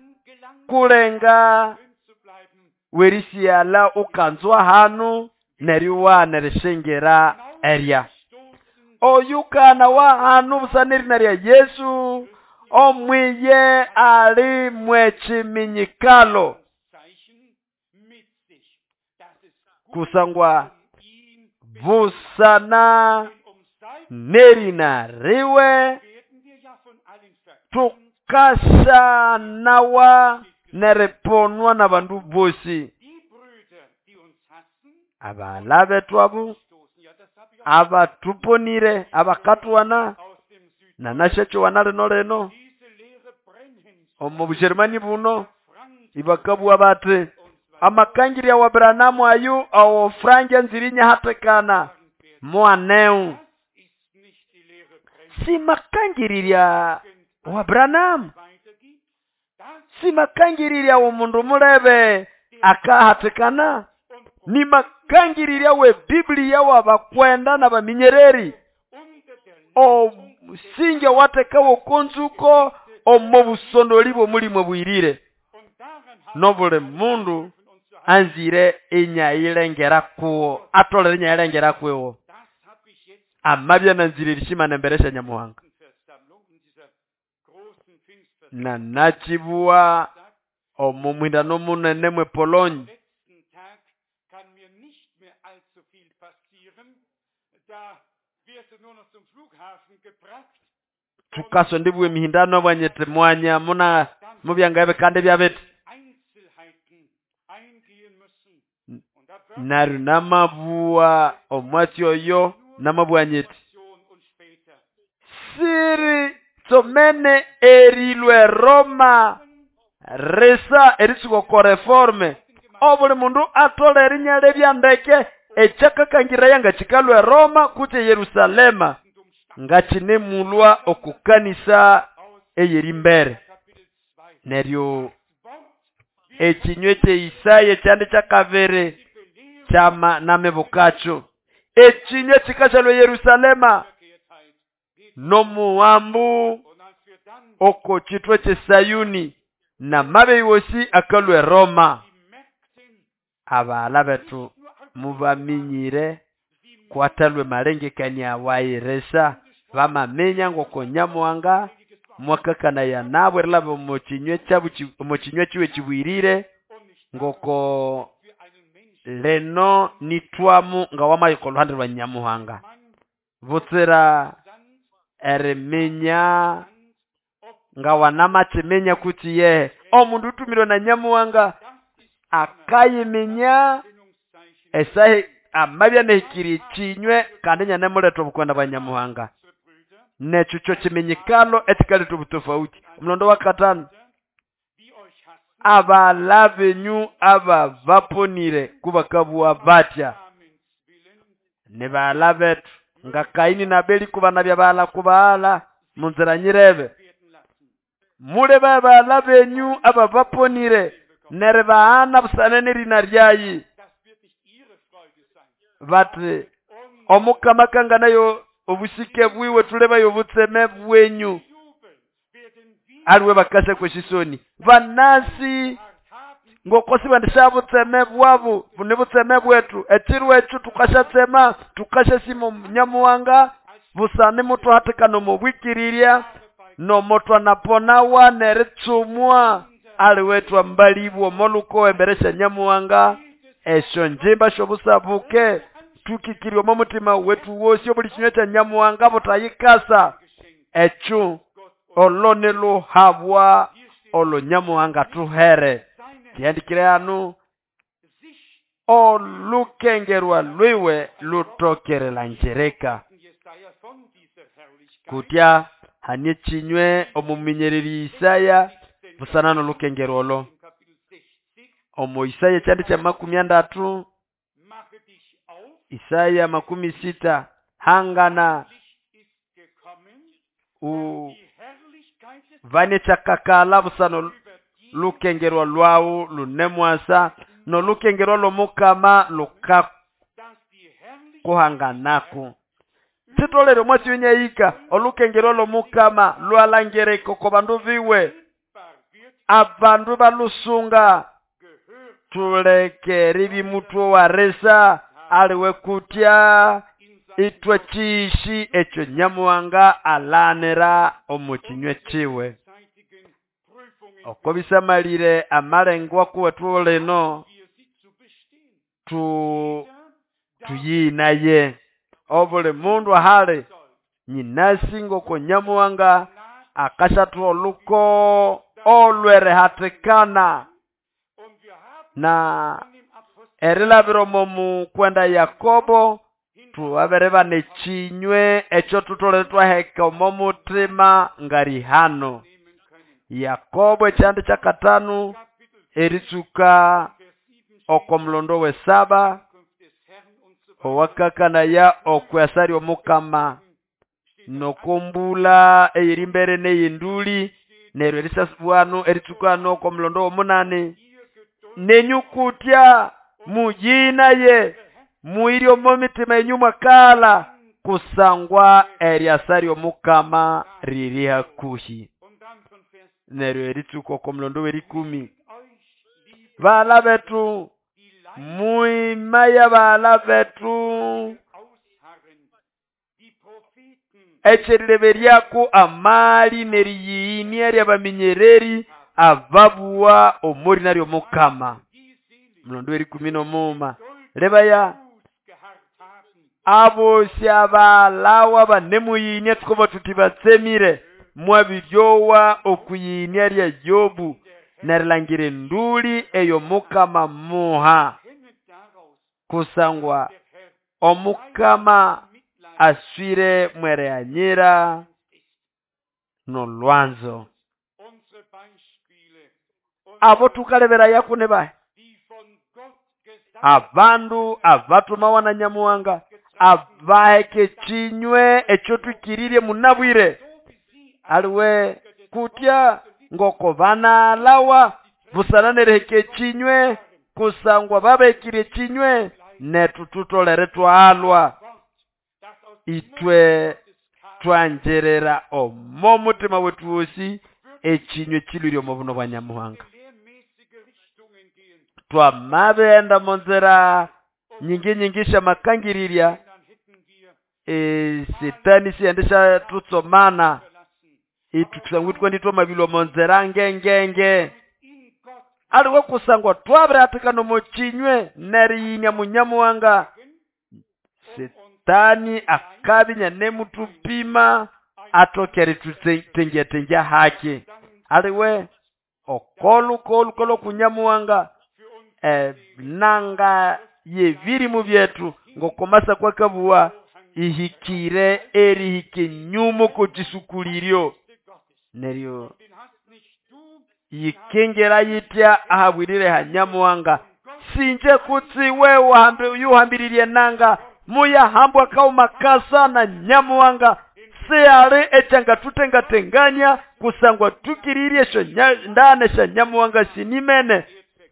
kulenga werisiala ukanzwa hanu neryo wanerishengera erya oyukana wa hanu busaneri rya Yesu omwiye ali mwechiminyikalo kusangwa busana nerina riwe tukashanawa nereponwa na bandu bosi. Abala bethu abo abatuponire abakatuwana nanashachowana lino lino omu Bujerumani buno ibakabwa bati amakangirya wa Branamu ayu awo Frank nzirinya hatekana mwaneu. Si makangirirya wa Branamu, si makangirirya omundu mulebe akahatekana, ni makangirirya we Biblia wabakwenda na baminyereri omusinge watekawo konzuko omu busondoli bw'omulimu bwirire nobuli mundu anzire enyayilengera kuwo atolere enyayilengera kuwo amabya nanzire erishima nemberesha Nyamuhanga. Na nachibuwa omu mwindano munene mwe Polonyi Tukasondibwa emihindano bwanyete mwanya muna mubyanga ebikande byabete. Naru namabua omwatsi oyo namabwanyete siri tsomene erilwe Roma risa eritsuka ko reforme obuli mundu atole erinyala ebyandeke ekyakakangira yanga chikalwe Roma kutse Yerusalema ngachinemulwa okukanisa eyerimbere. Neryo ekinywe kye Isaya kyandi kyakabiri kyama namebukacho ekinywe kikashalwe Yerusalema nomuwambu oko chitwe kye Sayuni na mabe wosi akalwe Roma. Abala betu mubaminyire kwatalwe malengekania wairesa bamamenya ngoko Nyamuhanga mwakakana ya nabo erilaba omukinywe kyabu omukinywe kiwe kibwirire ngoko leno nitwamu nga wamayiko oluhande lwa Nyamuhanga butsira eriminya nga wanamakiminya kuti ye omundu utumirwe na Nyamuhanga akayiminya esahi amabya nehikiri kinywe kandi nyanemuletha obukwenda bwa Nyamuhanga nekyo kyo kiminyikalo ekikaletha obutofauti. Omulondo wa katano abala benyu aba baponire kubakabua batya ni baala betu nga Kaini na Abeli kubana bya baala kubaala munzira nyirebe mule baala benyu aba baponire nere baana busane nerina ryayi bati omukama kanganayo obusike bwiwe tulebayo obutseme bwenyu aliwe bakase kweshisoni banasi ngokosi bandisha butseme bwabo bune butseme bwetu ekirwe ekyo tukashatsema tukashasima Nyamuhanga busane mutu hatikana mubwikirirya nomotwa naponawa neritsumwa aliwe twambalibwa moluko emberesha Nyamuhanga esyo njimba shobusabuke tukikirwe mu mutima wetu wosi obuli kinywe kya Nyamuhanga butayikasa ekyo olone luhabwa olo Nyamuhanga tuhere kiandikire hanu olukengerwa lwiwe lutokerela njereka kutya hanie chinywe omuminyereri Isaya busana nolukengerwa olo omo Isaya kyandi kya makumi andatu Isaya makumi sita hangana u vane chakakala busano lukengerwa lwawu lunemwasa no lukengerwa lomukama luka kuhanganako titolere mwasi wenyayika olukengerwa lomukama lwalangereko ko bandu biwe abandu balusunga tulekeri bimutwe waresa aliwe kutya itwe chiishi ekyo Nyamuhanga alanira omukinywe kiwe oko bisamalire amalengwa kuwetu lino tu tuyinaye obuli mundu ahali nyinasi ngoko Nyamuhanga akashathu oluko olwerehatikana na erilabira omu kwenda Yakobo tuwabere bane chinywe ekyo tutolere twaheka omo mutima ngarihano. Yakobo ekyandi kyakatanu eritsuka oko mulondo wesaba owakakanaya okwasari omukama nokumbula eyerimbere neyinduli neryo erisasibwanu eritsukano oko mulondo womunani nenyukutya muyinaye muiri omo mitima yenyu mwakala kusangwa eryasari omukama riri hakuhi. Neryo eritsuka oko mulondo werikumi bala betu muimaya bala betu ekyerireberyaku amali neriyiinia ryabaminyereri ababuwa omori naryo mukama. Mulondo werikumi nomuma lebaya abo syabalawa banemuyiinia tukoba tuti batsemire mwabiryowa okwiyinia lya Yobu nerilangira enduli eyo Mukama muha, kusangwa Omukama aswire mwereanyira nolwanzo. Abo tukalebera yakune bahe abandu abatumawa na Nyamuhanga abaheke chinywe ekyo twikiririe munabwire aliwe kutya ngoko banalawa busana neriheka chinywe kusangwa babekire chinywe netu tutolere twalwa itwe twanjerera omo mutima wetu wosi echinywe chilwire omo buno bwa Nyamuhanga. Twamabenda monzera nyingi nyingi shamakangiriria e setani siyendesha tutsomana itukusangwa nditwa mabilwa monzera ngengenge aliwe kusangwa twabiratika nomochinywe neriyinya Munyamuhanga. Setani akabinya nemutupima atokere tutengia tengia haki aliwe okolu kolu kunyamuhanga e, nanga yevirimu byetu ngokomasa kwakabuwa ihikire erihike nyumo kocisukuliryo neryo yikengera yitya ahabwirire hanyamuhanga sinje kutsiwe wahambe yuhambiririe nanga muyahambwa kauma kasa na Nyamuhanga seale echanga tutengatenganya kusangwa tukiririe sho ndane sha Nyamuhanga sinimene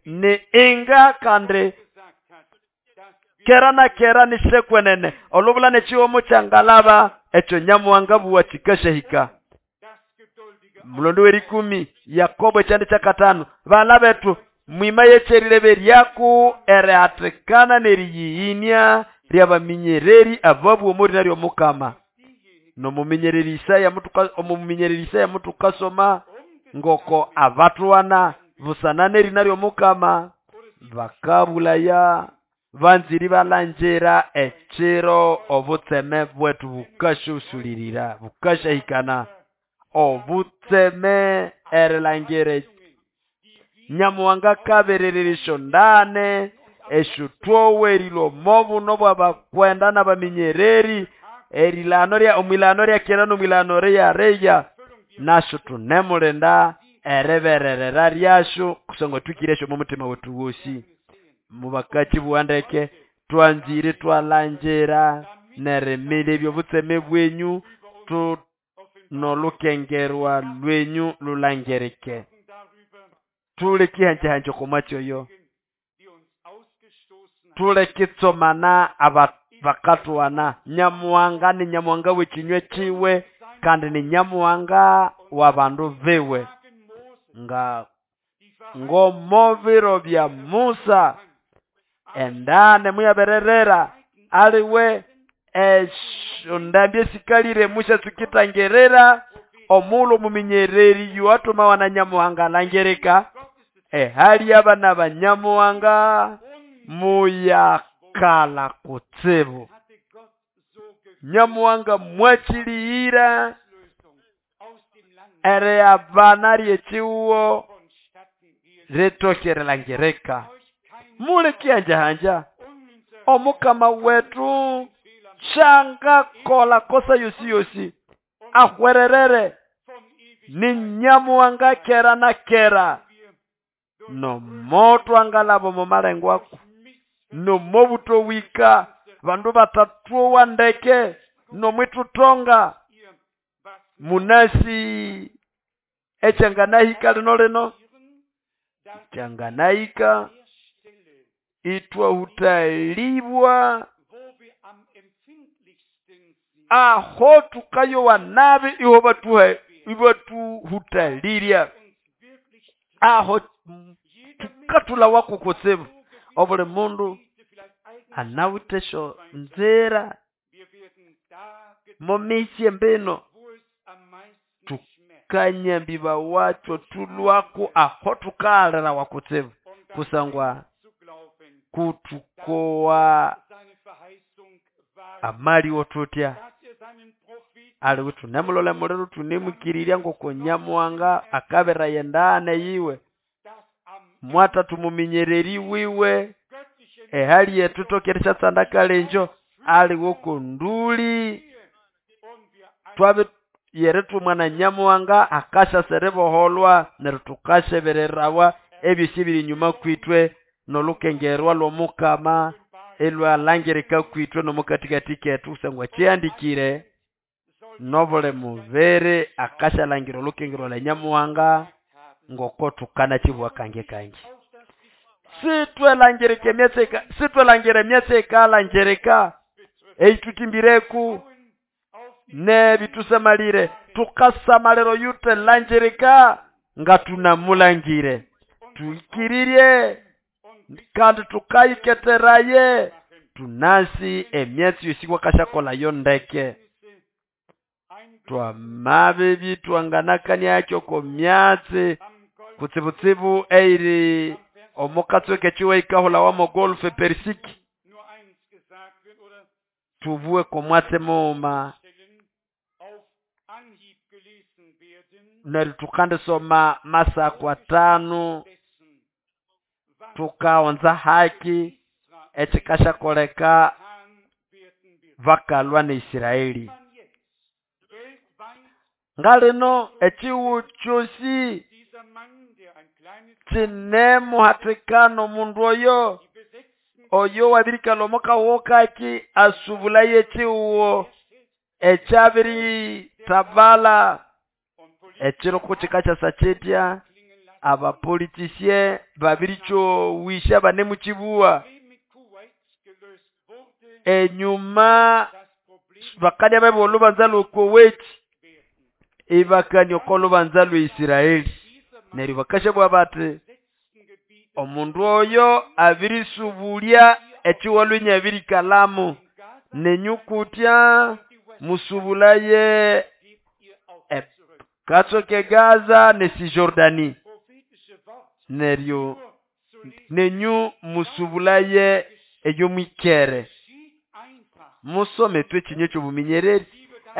ni inga kande kera na kera ni shekwenene olubula nechiwomo changalaba echo Nyamuhanga buwa chikashahika. Mulondo werikumi Yakobo chande cha katano bala betu mwima yecherilebe lyaku ereatekana neriyiinia lyabaminyereri ababu omori naryo Mukama. Nomuminyereri Isaya mutuka omuminyereri Isaya mutukasoma ngoko abatwana busanane naryo Mukama bakabulaya banziri balanjera echiro obutseme bwetu bukashusulirira bukashahikana obutseme erelangere Nyamuhanga kaberereresho ndane eshutwowerilo mobu nobo abakwenda n'abaminyereri erilano lya omwilano lya kera nomwilano lya reya nasho tunemulenda erebererera lyasho kusangwa tukiresho mu mutima wetu wosi mubakachi buwandeke twanzire twalanjera neremile ebyobutseme bwenyu tu nolukengerwa lwenyu lulangereke tule kihanje komachoyo tule kitsomana aba bakatwana Nyamuhanga ni Nyamuhanga wechinywe chiwe kandi ni Nyamuhanga wa bandu viwe nga ngomoviro bya Musa endane muyabererera aliwe eshondambye sikalire musha tukitangerera omulo muminyereri yuatuma wana Nyamuhanga langereka ehali abana ba Nyamuhanga muyakala kutsibu Nyamuhanga mwachiliira ere abana ryechiwo retokerelangereka mule kianja hanja Omukama wetu shanga kola kosa yosi yosi ahwererere ni Nyamuhanga kera na kera no moto angalabo mumalengwaku no mobuto wika bandu batatuwa ndeke no mwitutonga munasi echanganahika lino lino changanahika itwa hutalibwa aho tukayo wanabi iho batuhe ibatu hutaliria aho tukatula wako kutsibu obule mundu anawutesho nzera momisie mbino tukanyambiba wacho tulwaku aho tukalera wakutsibu kusangwa kutukowa Amaliwo tutya aliwe thunemulole muliro thunemwikirirya ngoko Nyamuhanga akabiraya endagane yiwe mwatha thumuminyererĩ wiwe ehali yethu ithoke erisyatsanda kalengyo aliwe oko ndũlĩ twabi yerithumwa na Nyamuhanga akasyasa eriboholwa neryo thukasyebererawa ebyosi ebiri enyuma kwithwe nolukengerwa lw'omukama ilwalangirika kwithwe n'omukathikathi kethu kusangwa kyihandikire nobuli mubiri akasyalangira olukengerwa lwa Nyamuhanga ngoko thukanakyibuwa kangi kangi. Sithwelangirika emyatsi sithwelangira emyatsi eyikalangirika eyithuthimbireko nebithusamalire thukasamalira oyuthelangirika nga thunamulangire thukirirye kandi thukayiketheraye thunasi emyatsi yosi kwakasyakolhayo ndeke. Twamabibya ithwanganakaniakyo oko myatsi kutsibutsibu eyiri omukatsweka ekiwa eyikahulawa mo Golf Persiki thubuwe komwatsi mughuma neryo thukandisoma Masako athanu thukaghunza haki ekyikasyakoleka bakalhwa ne Isiraeli. Ngalino ekihugho kyosi kyinemuhathikana omundu oyo oyo wabirikalha omo kahugho kaki asubulaye ekihugho ekyabirithabalha ekiro kukikasyasa kyitya abapolitisye babirikyowisya banemukibuwa enyuma bakabya babibuwa olhubanza lwe Kuwait ibakania oko lubanza lwe Isiraeli neryo bakasyabuwa bathi omundu oyo abirisubulya ekihugho inabirikalhamu nenyu kutya musubulaye katsweka e Gaza ne Cisjordanie neryo nenyu musubulaye eyo mwikere musome ithwe ekinywa ekyobuminyereri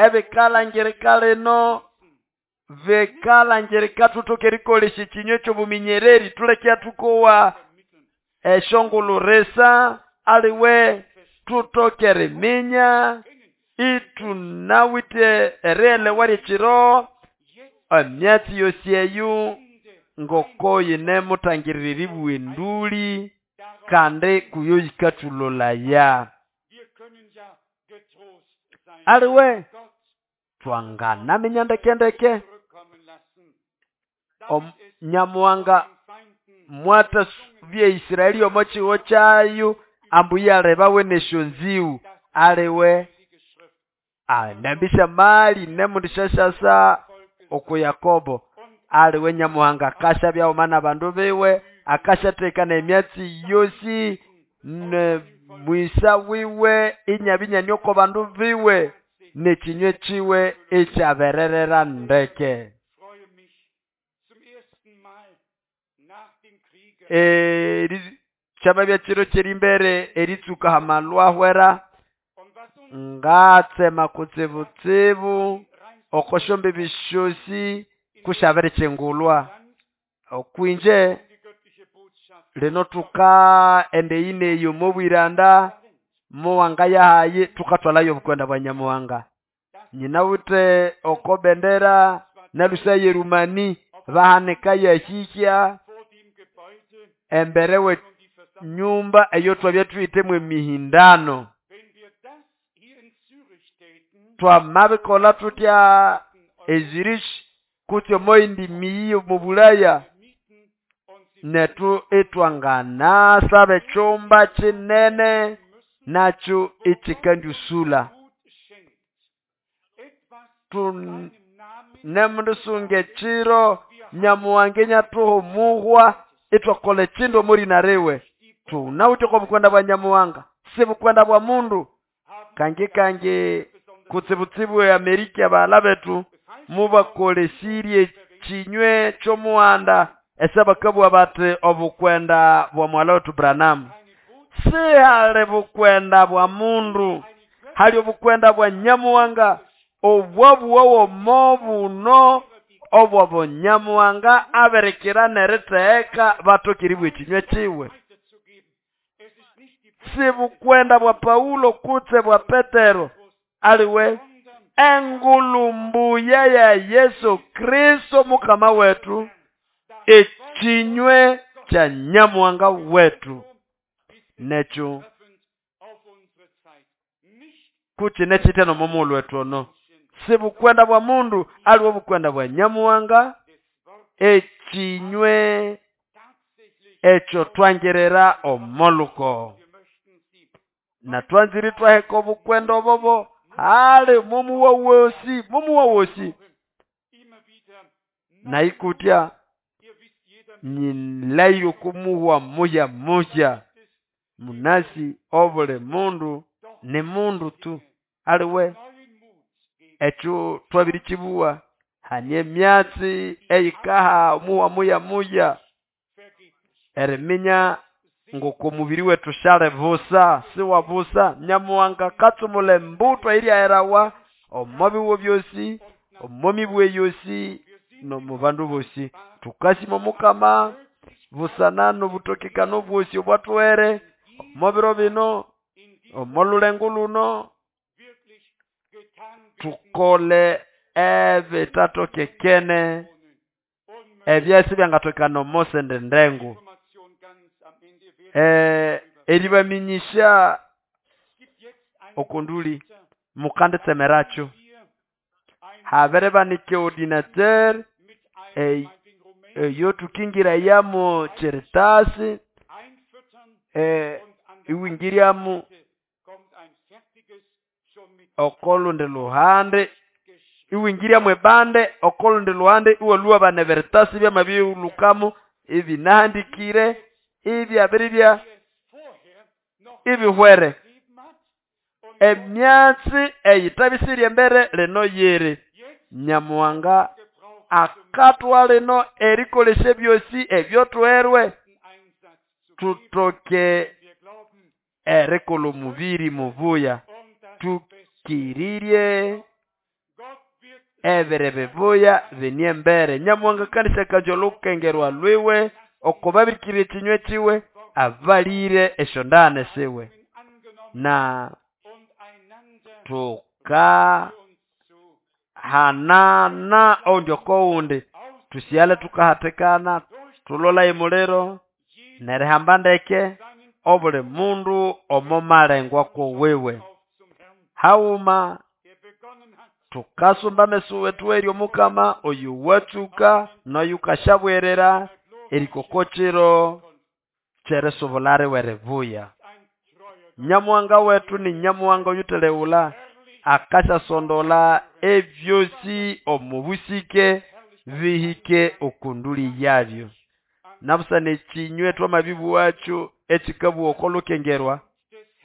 ebikalangirika lino bikalangirika thuthoke erikolesya ekinywa ekyobuminyereri thuleke thukowa esyongulhurisa aliwe thuthoke eriminya ithunawithe erighelewa lyekiro emyatsi yosi eyo ngoko yinemuthangirira eribuwa enduli kandi kuyo yikathulolaya aliwe thwanganaminya ndekendeke Nyamuhanga mwatha bya Isiraeli omo kihugho kyayo ambu iyalebawe nesyonzĩgũ aliwe anambisya mali nemundisyasyasa oku Yakobo aliwe Nyamuhanga akasyabya haghuma n'abandu biwe akasyathekana emyatsi yosi ne mwisa wiwe inyabya inyane oko bandu biwe n'ekinywe kiwe ikyabererera ndeke. Eri kyamabya kiro kyerimbere eritsuka hamalhwahwera ngatsema kutsibutsibu oko syombibi syosi kusyabirikyingulwa okwinje lino thuka enda eyi neyi omo bwiranda muwangayahayi thukathwalayo obukwenda bwa Nyamuhanga nyinawithe oko bendera nalusa yerumani bahanika yahihya embere we nyumba eyo twabya thuhithemu emihindano twamabikolha thutya e Zurich kutse omoyindi miyi omo Bulaya nethu ithwanganasaba ekyumba kinene nakyo ikyikandiusulha thunemundisunga ekiro Nyamuhanga inyathuha omuhwa ithwakolha ekindu omorina riwe thunawithe oko bukwenda bwa Nyamuhanga si bukwenda bwa mundu kangi kangi kutsibutsibu e Amerika baghalha bethu mubakolesirye ekinywe ky'omughanda ese bakabugha bathi obukwenda bwa mughalha wethu Branham Sihali bukwenda bwa mundu, hali obukwenda bwa Nyamuhanga obwabuwawo omo buno obwo Bunyamuhanga abirikira n'eritheheka batoke eribugha ekinywa kiwe. Si bukwenda bwa Paulo kutse bwa Petero, aliwe engulu mbuya ya Yesu Kristo Mukama wetu, ekinywe kya Nyamuhanga wetu. Nekyo kukine kitya n'omumulu wetu ono. Si bukwenda bwa mundu, aliwe bukwenda bwa Nyamuhanga, ekinywe ekyo twangirira omoluko. Na twanzire twaheka obukwenda obobo hali mumuwa wosi, mumuwa wosi. Na ikutya nyilayo kumuwa muya muya munasi obuli mundu ni mundu tu aliwe ekyo twabirikibuwa hanye emyatsi eyikaha omuwa muya muya eriminya ngoko mubiri wetu shale busa siwa busa. Nyamuhanga katsumula embuto eiryaerawa omo biwo byosi, omo mibwe yosi nomu bandu bosi. Tukasima Omukama busana n'obutokekano bwosi obwathuhere omo biro bino, omo lulengo luno, tukole ebitatokekene ebyasi byangatokekana omo sende ndengu. Eh, eribaminyisha okunduli mukanditsemerakyo habere banike ordinateur eyo tukingira yamo cheritasi eh, iwingiriamu okolundi luhande iwingiriamu ebande okolundi luhande iwalua bane veritasi byamabiulukamu ibinahandikire ibyabiribya ibihwere emyatsi eyitabisirye embere lino yiri. Nyamuhanga akatwa lino erikolesya byosi ebyothuherwe tutoke erikolha omubiri mubuya, tukirirye ebiri bibuya bine embere. Nyamuhanga kandisyakanja olukengerwa lwiwe okubabirikirira ekinywa kiwe abalire esyondane siwe na tuka hanana oundi okowundi tusyale tukahathikana tulola emuliro nerihamba ndeke obuli mundu omo malengwa kuwiwe. Haghuma tukasumba ameso wethu eri Omukama oyo watsuka noyukashabwerera erikokokiro kyerisubula riwe ribuya. Nyamuhanga wetu ni Nyamuhanga oyutheleghula akasyasondola ebyosi omu busike bihike okunduli yabyo. Nabusana ekinywa twamabibuwakyo ekikabuwa okolukengerwa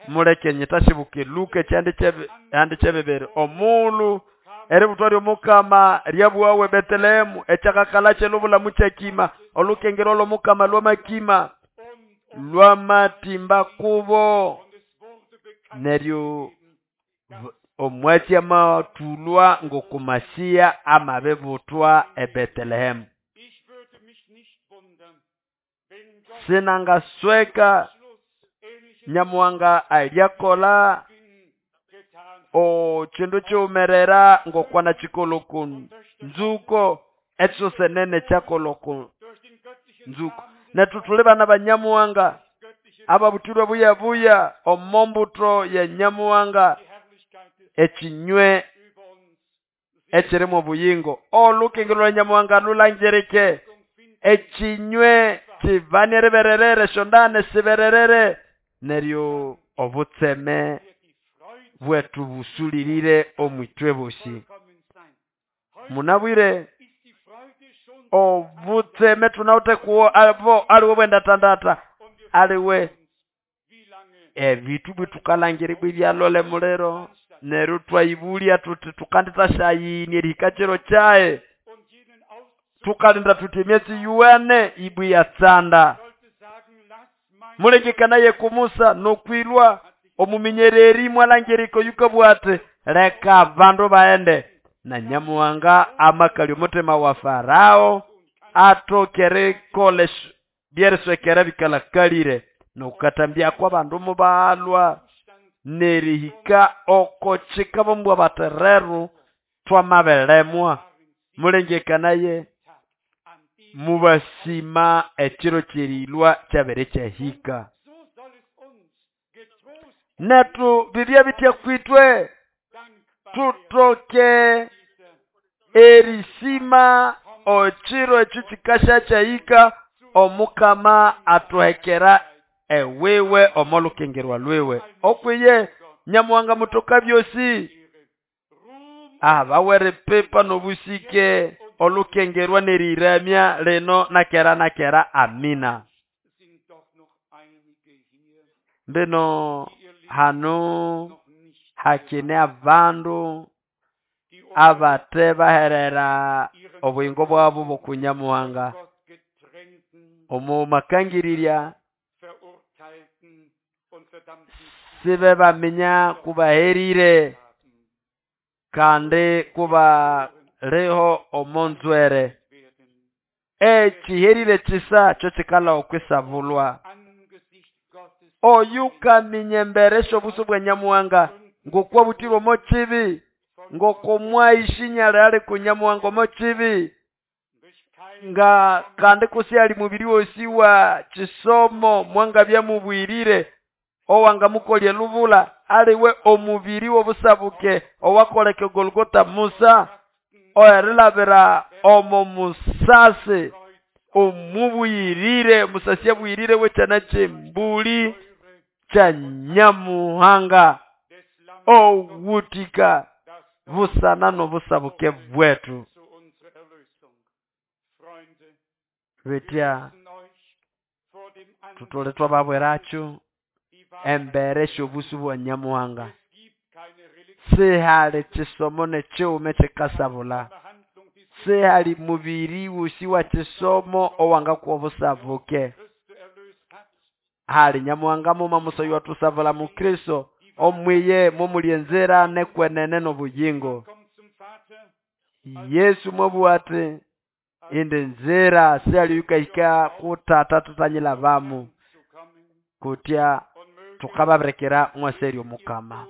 muleke nyitashibuka eluka ekyandi kyebibiri omuulu eributwa ly'Omukama lyabuwawe Betelehemu ekyakakala kyelubulamu kyakima olukengerwa lw'Omukama lwamakima lwamatimba kubo neryo omwatsi amathulwa ng'okumasiya amabibutwa eBetelehemu. Sinangasweka Nyamuhanga alyakola okindu kiwumerera ng'okwana kikolha oku nzuko ekyosenene kyakolha oku nzuko. Nethu thuli bana ba Nyamuhanga ababuthirwe buyabuya omo mbuto ya Nyamuhanga ekinywe ekirimu obuyingo. Olukengero lwa Nyamuhanga lulangirike ekinywe kibane ribererere esyondane sibererere neryo obutseme bwetu busulirire omwitwe bosi. Munabwire obutseme tunawuthe kuwo abo aliwe bwendatandata aliwe ebithu bwithukalangiribwa ibyalole muliro neryo twayibulya tuthi tukandithashayini erihika kiro kyayi tukalinda thuthi emyatsi yuwene ibwi yatsanda. Mulengekanaye ku Musa nokwilwa omuminyereri mwalangirika oyukabugha ati leka abandu baghende. Na Nyamuhanga amakalya omutima wa Farao atoke erikolha byeriswekera bikalakalire nokukatambyako abandu mubalhwa nerihika oko kika bamubwira bati rero twamabilemwa. Mulengekanaye mubasima ekiro kyerilwa kyabere kyahika. Nethu bibye bitya kwitwe tutoke erisima ekiro ekyo kikasya kyahika omukama athuhekera ewiwe omo lukengerwa lwiwe. Okwiye Nyamuhanga mutoka byosi abawe eripipa nobusike olukengerwa neriramya lino nakera nakera. Amina. Mbino hano hakine abandu abate baherera obuyingo bwabo bokunyamuhanga omu makangirirya sibe baminya kubaherire kandi kuba liho omonzwere ekiherire kisa kyo kikala okwisabulwa. Oyu kaminya embere syobuso bwa Nyamuhanga ngokwabutirwe omo kibi ngoko mwaishinyale ali ku Nyamuhanga omo kibi nga kandi kusi ali mubiri wosi wa kisomo mwangabya mubwirire owanga mukolye lubula aliwe omubiri wobusabuke owakoleka Golgota Musa oerilabira omo musasi omubuyirire musasi abuyirire wekyana kyembuli kya Nyamuhanga owutika busana nobusabuke bwetu. Betya tutole twababweracho embere syobusu bwa Nyamuhanga sihali kisomo nekiwume kikasabula sihali mubiri wusi wa kisomo owangakuwa obusabuke hali Nyamuhanga muma musoyi watusabula mu Kristo omwiye mumulyenzera nekwenene nobuyingo. Yesu mwabugha ati indi nzira sihali yukahika kutata tutanyila bamu kutya tukababirekera mwaseri omukama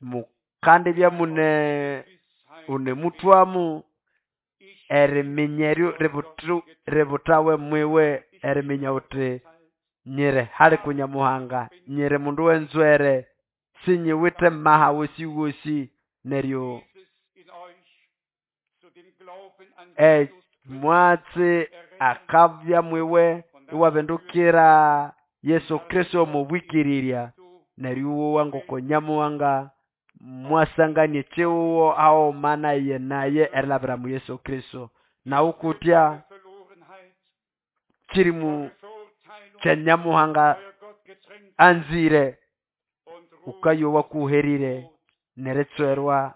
mukandi byamune une mutwamu eriminyeryo ributawe mwiwe eriminya uti nyire hali kunyamuhanga nyire mundu wenzwere sinyiwite maha wosi wosi neryo e mwatsi akabya mwiwe iwabindukira Yesu Kristo mubwikirirya neryo wangoko Nyamuhanga mwasanganie chiwo ao mana ye naye erilabira mu Yesu Kristo na ukutya kirimu kya Nyamuhanga anzire ukayowa kuherire neretswerwa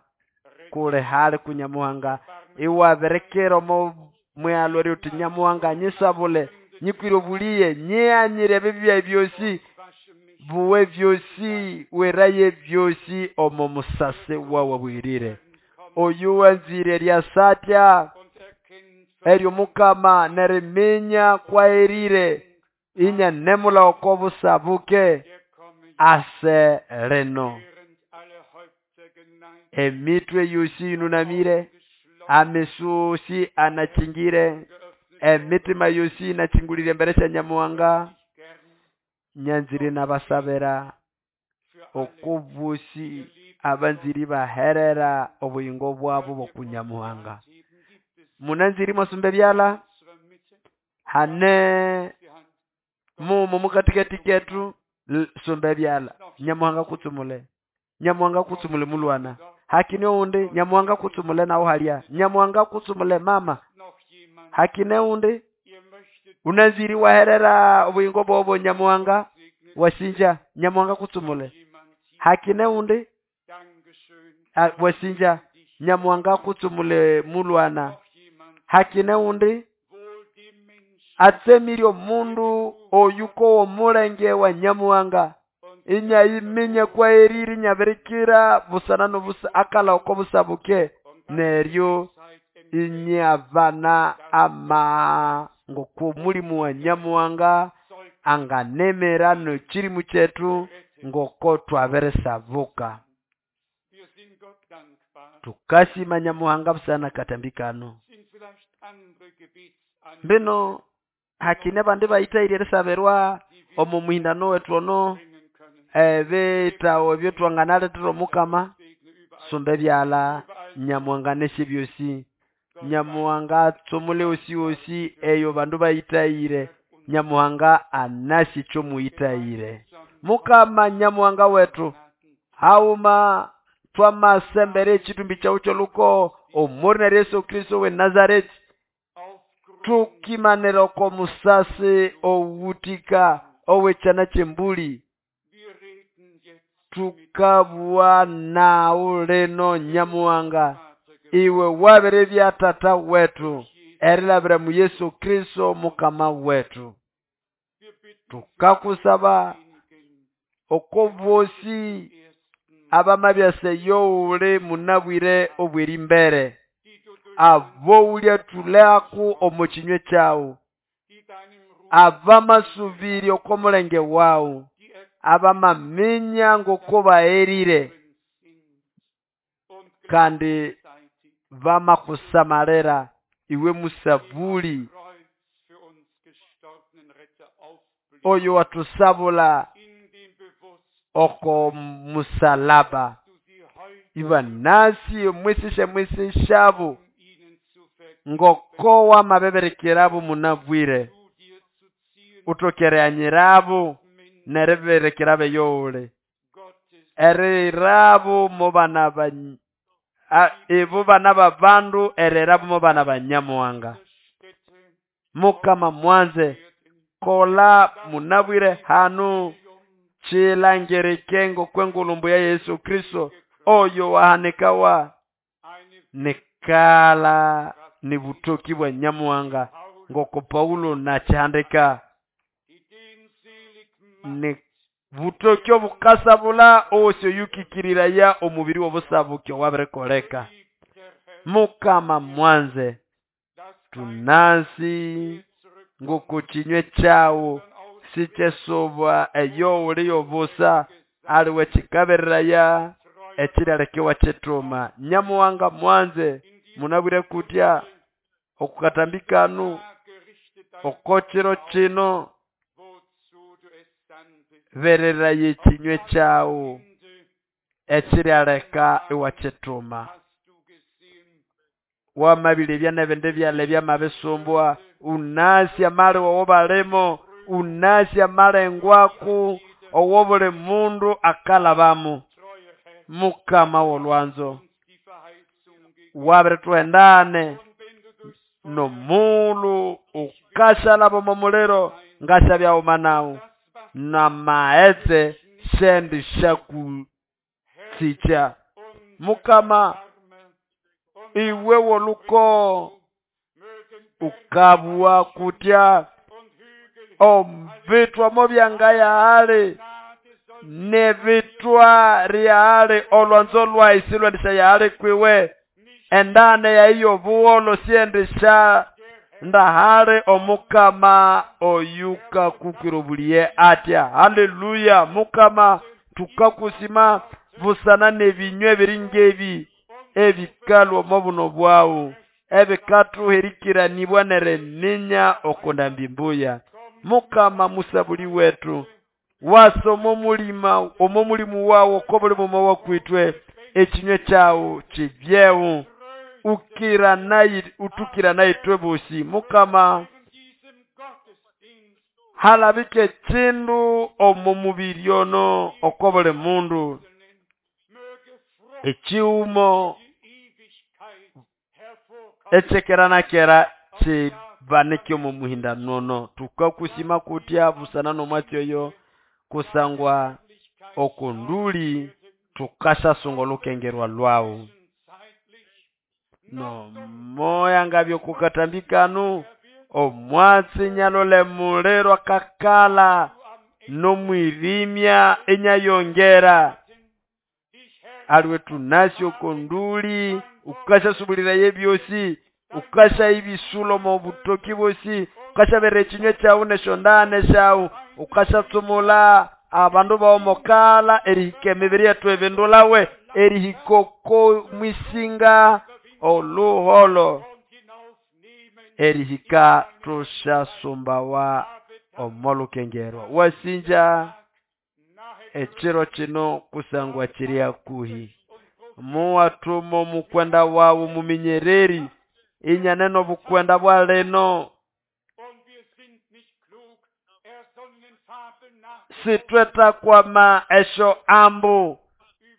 kule hali kunyamuhanga iwaberekera omo mwalo uti Nyamuhanga nyisabule nyikwire obuliye nyianyire ebibya byosi buwe byosi weraye byosi omo musase wawe bwirire oyu wanzire lyasatya eryo mukama neriminya kwaerire inya nemula okobusabuke ase leno emitwe yosi inunamire amesusi anachingire emitima yosi inachingulire mbere sya Nyamuhanga nyanzire nabasabira okubusi abanziri baherera obuyingo bwabo bokunyamuhanga munanziri mwasumbe byala hane mumo mukatikati ketu sumbe byala Nyamuhanga kutsumule Nyamuhanga kutsumule mulwana hakine undi Nyamuhanga kutsumule nawo halya Nyamuhanga kutsumule mama hakine undi unaziri waherera obuyingo bwobo Nyamuhanga wasinja Nyamuhanga kutsumule hakine undi wasinja Nyamuhanga kutsumule mulwana hakine undi Atsemire omundu oyukowa omulenge wa Nyamuhanga inyayiminya kwaherire inyabirikira busana n'obusa akalha oko busabuke neryo inyabana ama ngoko omulimu wa Nyamuhanga anganemera n'ekirimu kyethu ngoko twabirisabuka. Wir sind Gott dankbar. Tukasima Nyamuhanga busana n'akatambi kano. Sind vielleicht andere Gebetsanliegen, Mbino hakine bandi bayithaire erisabirwa omo muhindano wethu ono bringen können. ebitawo ebyo twanganalethera omukama Segne überall. sumba ebyalha Nyamuhanga nesye byosi. Nyamuhanga atsumule osi osi eyo bandu bayithaire. Nyamuhanga anasi ekyo muyithaire. Mukama Nyamuhanga wethu hauma twamasembera ekitumbi kyawu ky'oluko omurina rya Yesu Kristo we Nazareti tukimanira oko musasi owutika ow'ekyana ky'embuli Wir reden jetzt tukabugha nawu lino Nyamuhanga Vater iwe wabiribya tata wetu erilabira mu Yesu Kristo mukama wetu. Wir bitten Tukakusaba diejenigen, oko bosi ersten, abamabyasa eyowuli munabwire obw'erimbere die du durch abo ulyathulhaku omo kinywe kyawu die deinem Ruf, abamasubiri oko mulenge wawu die abamaminya ngoko baherire ergeben sind und kandi gleichzeitig bamakusamalira iwe musabuli am Kreuz für uns gestorbenen Retter aufblicken, oyo watusabula in dem Bewusstsein, oko musalaba du sie heute ibanasi omwisisya mwisisyabu um ihnen zu vergeben, ngoko wamabeberekerabu munabwire zu dir zu ziehen, utokereanyirabu Menschen neriberekerabu eyowuli Gottes erirabu mu bana ba a- ibo bana babandu erirabu mu bana ba Nyamuhanga. Stätte Mukama mwanze werden, kola munabwire hanu chilangirike ngokwengulumbu ya Yesu Kristo oyo wahanikawa eine nikala ni butoki bwa Nyamuhanga ngoko Paulo nachihandika die den selig macht, ni butoki obukasabula osi oyukikiriraya omubiri w'obusabuki owabirikoleka. liebter Herr, Mukama mwanze dass kein tunasi mehr zurückkommt, ngoko kinywe kyawu sondern aus sikyesubwa eyowuli yobusa aliwe kikabereraya ekiryalekewa kyetuma. Nyamuhanga mwanze munabwire kutya okukatambi kanu Tage richte dein oko kiro kino wozu du es sandest. bereraya ekinywe kyawu Ende ekiryaleka iwakyetuma. hast du gesehen, Wamabirya n'ebindi byalha ebyamabisumbwa unasi amali wowo balimo unasi amalengwaku owo buli mundu akalhabamu. treuer Herr, Mukama w'olwanzo uns die Verheißung gegeben. wabirithuhendane Und wenn du durchs Feuer n'omulhu ukashalaba omo muliro ngasyabyawuma nawu das Wasser n'amaghetse sendi syakusikya. und Mukama Arme und iwe w'oluko mögen ukabugha kutya und Hügel omubithwa mobyanga yahali Gnade soll n'ebithwa lyahali olwanzo lwayi silwendisya yahali kwiwe endane yayi y'obugholo syendisya ndahali omukama oyukakukwira obuliye atya. Haleluya. Mukama tukakusima busana n'ebinywa ebiri ngebi ebikalwa omo buno bwawu ebikathuhirikiranibwa n'eriminya okundambi mbuya. Mukama musabuli wethu wasa omo mulima omo mulimu wawu oko buli muma wakwitwe ekinywe kyawu kibyewu ukira nayi utukira naitwe bosi. Mukama in diesem Gottesdienst halabike ekindu omo mubiri ono oko buli mundu möge Frucht ekiwumo die Ewigkeit hervorkommen. ekyekera na kera kibanike omo muhindano ono. Tukakusima kutya busana n'omwatsi oyo kusangwa okunduli tukasasunga olukengerwa lwawu. Zeitlich Nomoya ngabyo kukatambi kanu Omwatsi nyalole muliro akakala nomwirimya inyayongera. Aliwe tunasi okonduli ukasasubuliraye ebyosi, ukasayibisula omo butoki bwosi, ukasabera ekinywa kyawu neshondane syawu, ukasatsumula abandu bawu mokala erihika emibiri yetu ebindulawe erihika oko mwisinga oluholo erihika tusyasumbawa omo lukengerwa. Wasinja ekiro kino kusangwa kiri hakuhi. Muwathuma omukwenda wawu muminyereri inyanene obukwenda bwa lino. Sithwetakwama esyo ambu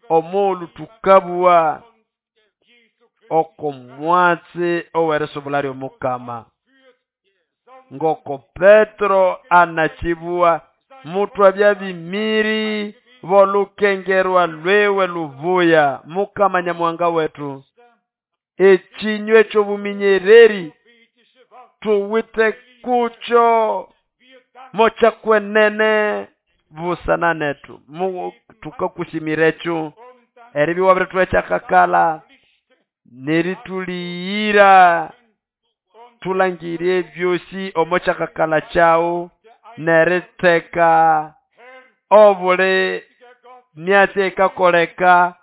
omughulhu thukabugha oko mwatsi owerisubula ly'omukama. Ngoko Petro anakibugha, muthwabya bimiri b'olukengerwa lwiwe lubuya. Mukama Nyamuhanga wetu, ekinywa eky'obuminyereri tuwite kukyo mokyakwenene busana netu. Mu tukakusimira ekyo eribya iwabirithuha ekyakakala nerituliyira tulangire ebyosi omo kyakakala kyawu neritheka obuli myatsi ekakoleka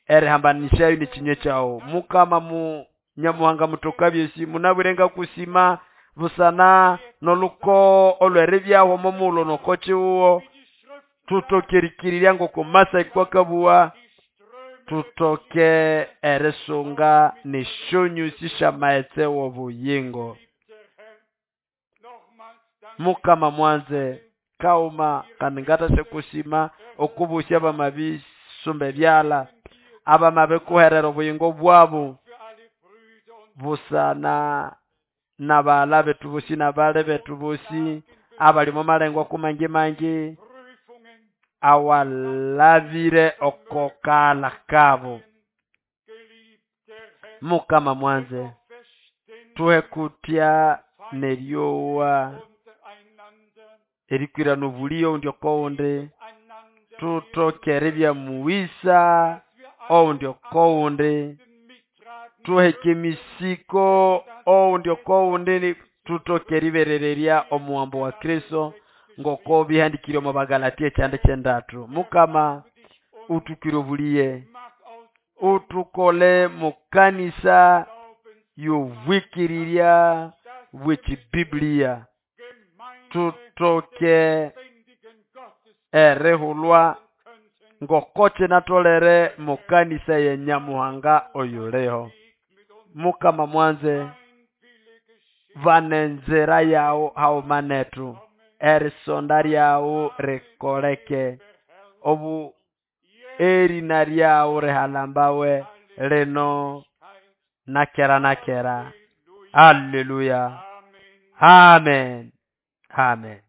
erihambanisyayo n'ekinywa kyawu. Mukama mu Nyamuhanga mutoka byosi, munabwire ngakusima busana n'oluko olweribyaho omo mughulhu noko kiwuwo. Tutoke erikirirya ngoko Masai kwakabugha, tutoke erisunga n'esyonyusi sy'amaghetse w'obuyingo. Mukama mwanze kauma kandi ngathasyakusima okubosya abamabisumba ebyalha abamabikuherera obuyingo bwabu busana n'abaghala bethu bosi n'abali bethu bosi abali omo malengo kumangi mangi awalabire oko kaghalha kabu. Mukama mwanze tuhe kutya neryowa erikwirana obuliyo owundi okowundi, tuthoke eribya mughisa owundi okowundi, tuheke emisiko owundi okowundi, tuthoke eriberererya omuwambo wa Kristo ngoko bihandikire omo Bagalatia ekyanda ky'endathu. Mukama utukwire obuliye, utukole mukanisa y'obwikirirya bw'ekibibulia, tutoke erihulwa ngoko kinatholere mukanisa ya Nyamuhanga oyuliho. Mukama mwanze bana enzira yawu haghuma nethu, erisonda lyawu likoleke, obu erina lyawu lihalambawe lino nakera nakera. Haleluya, amen, amen.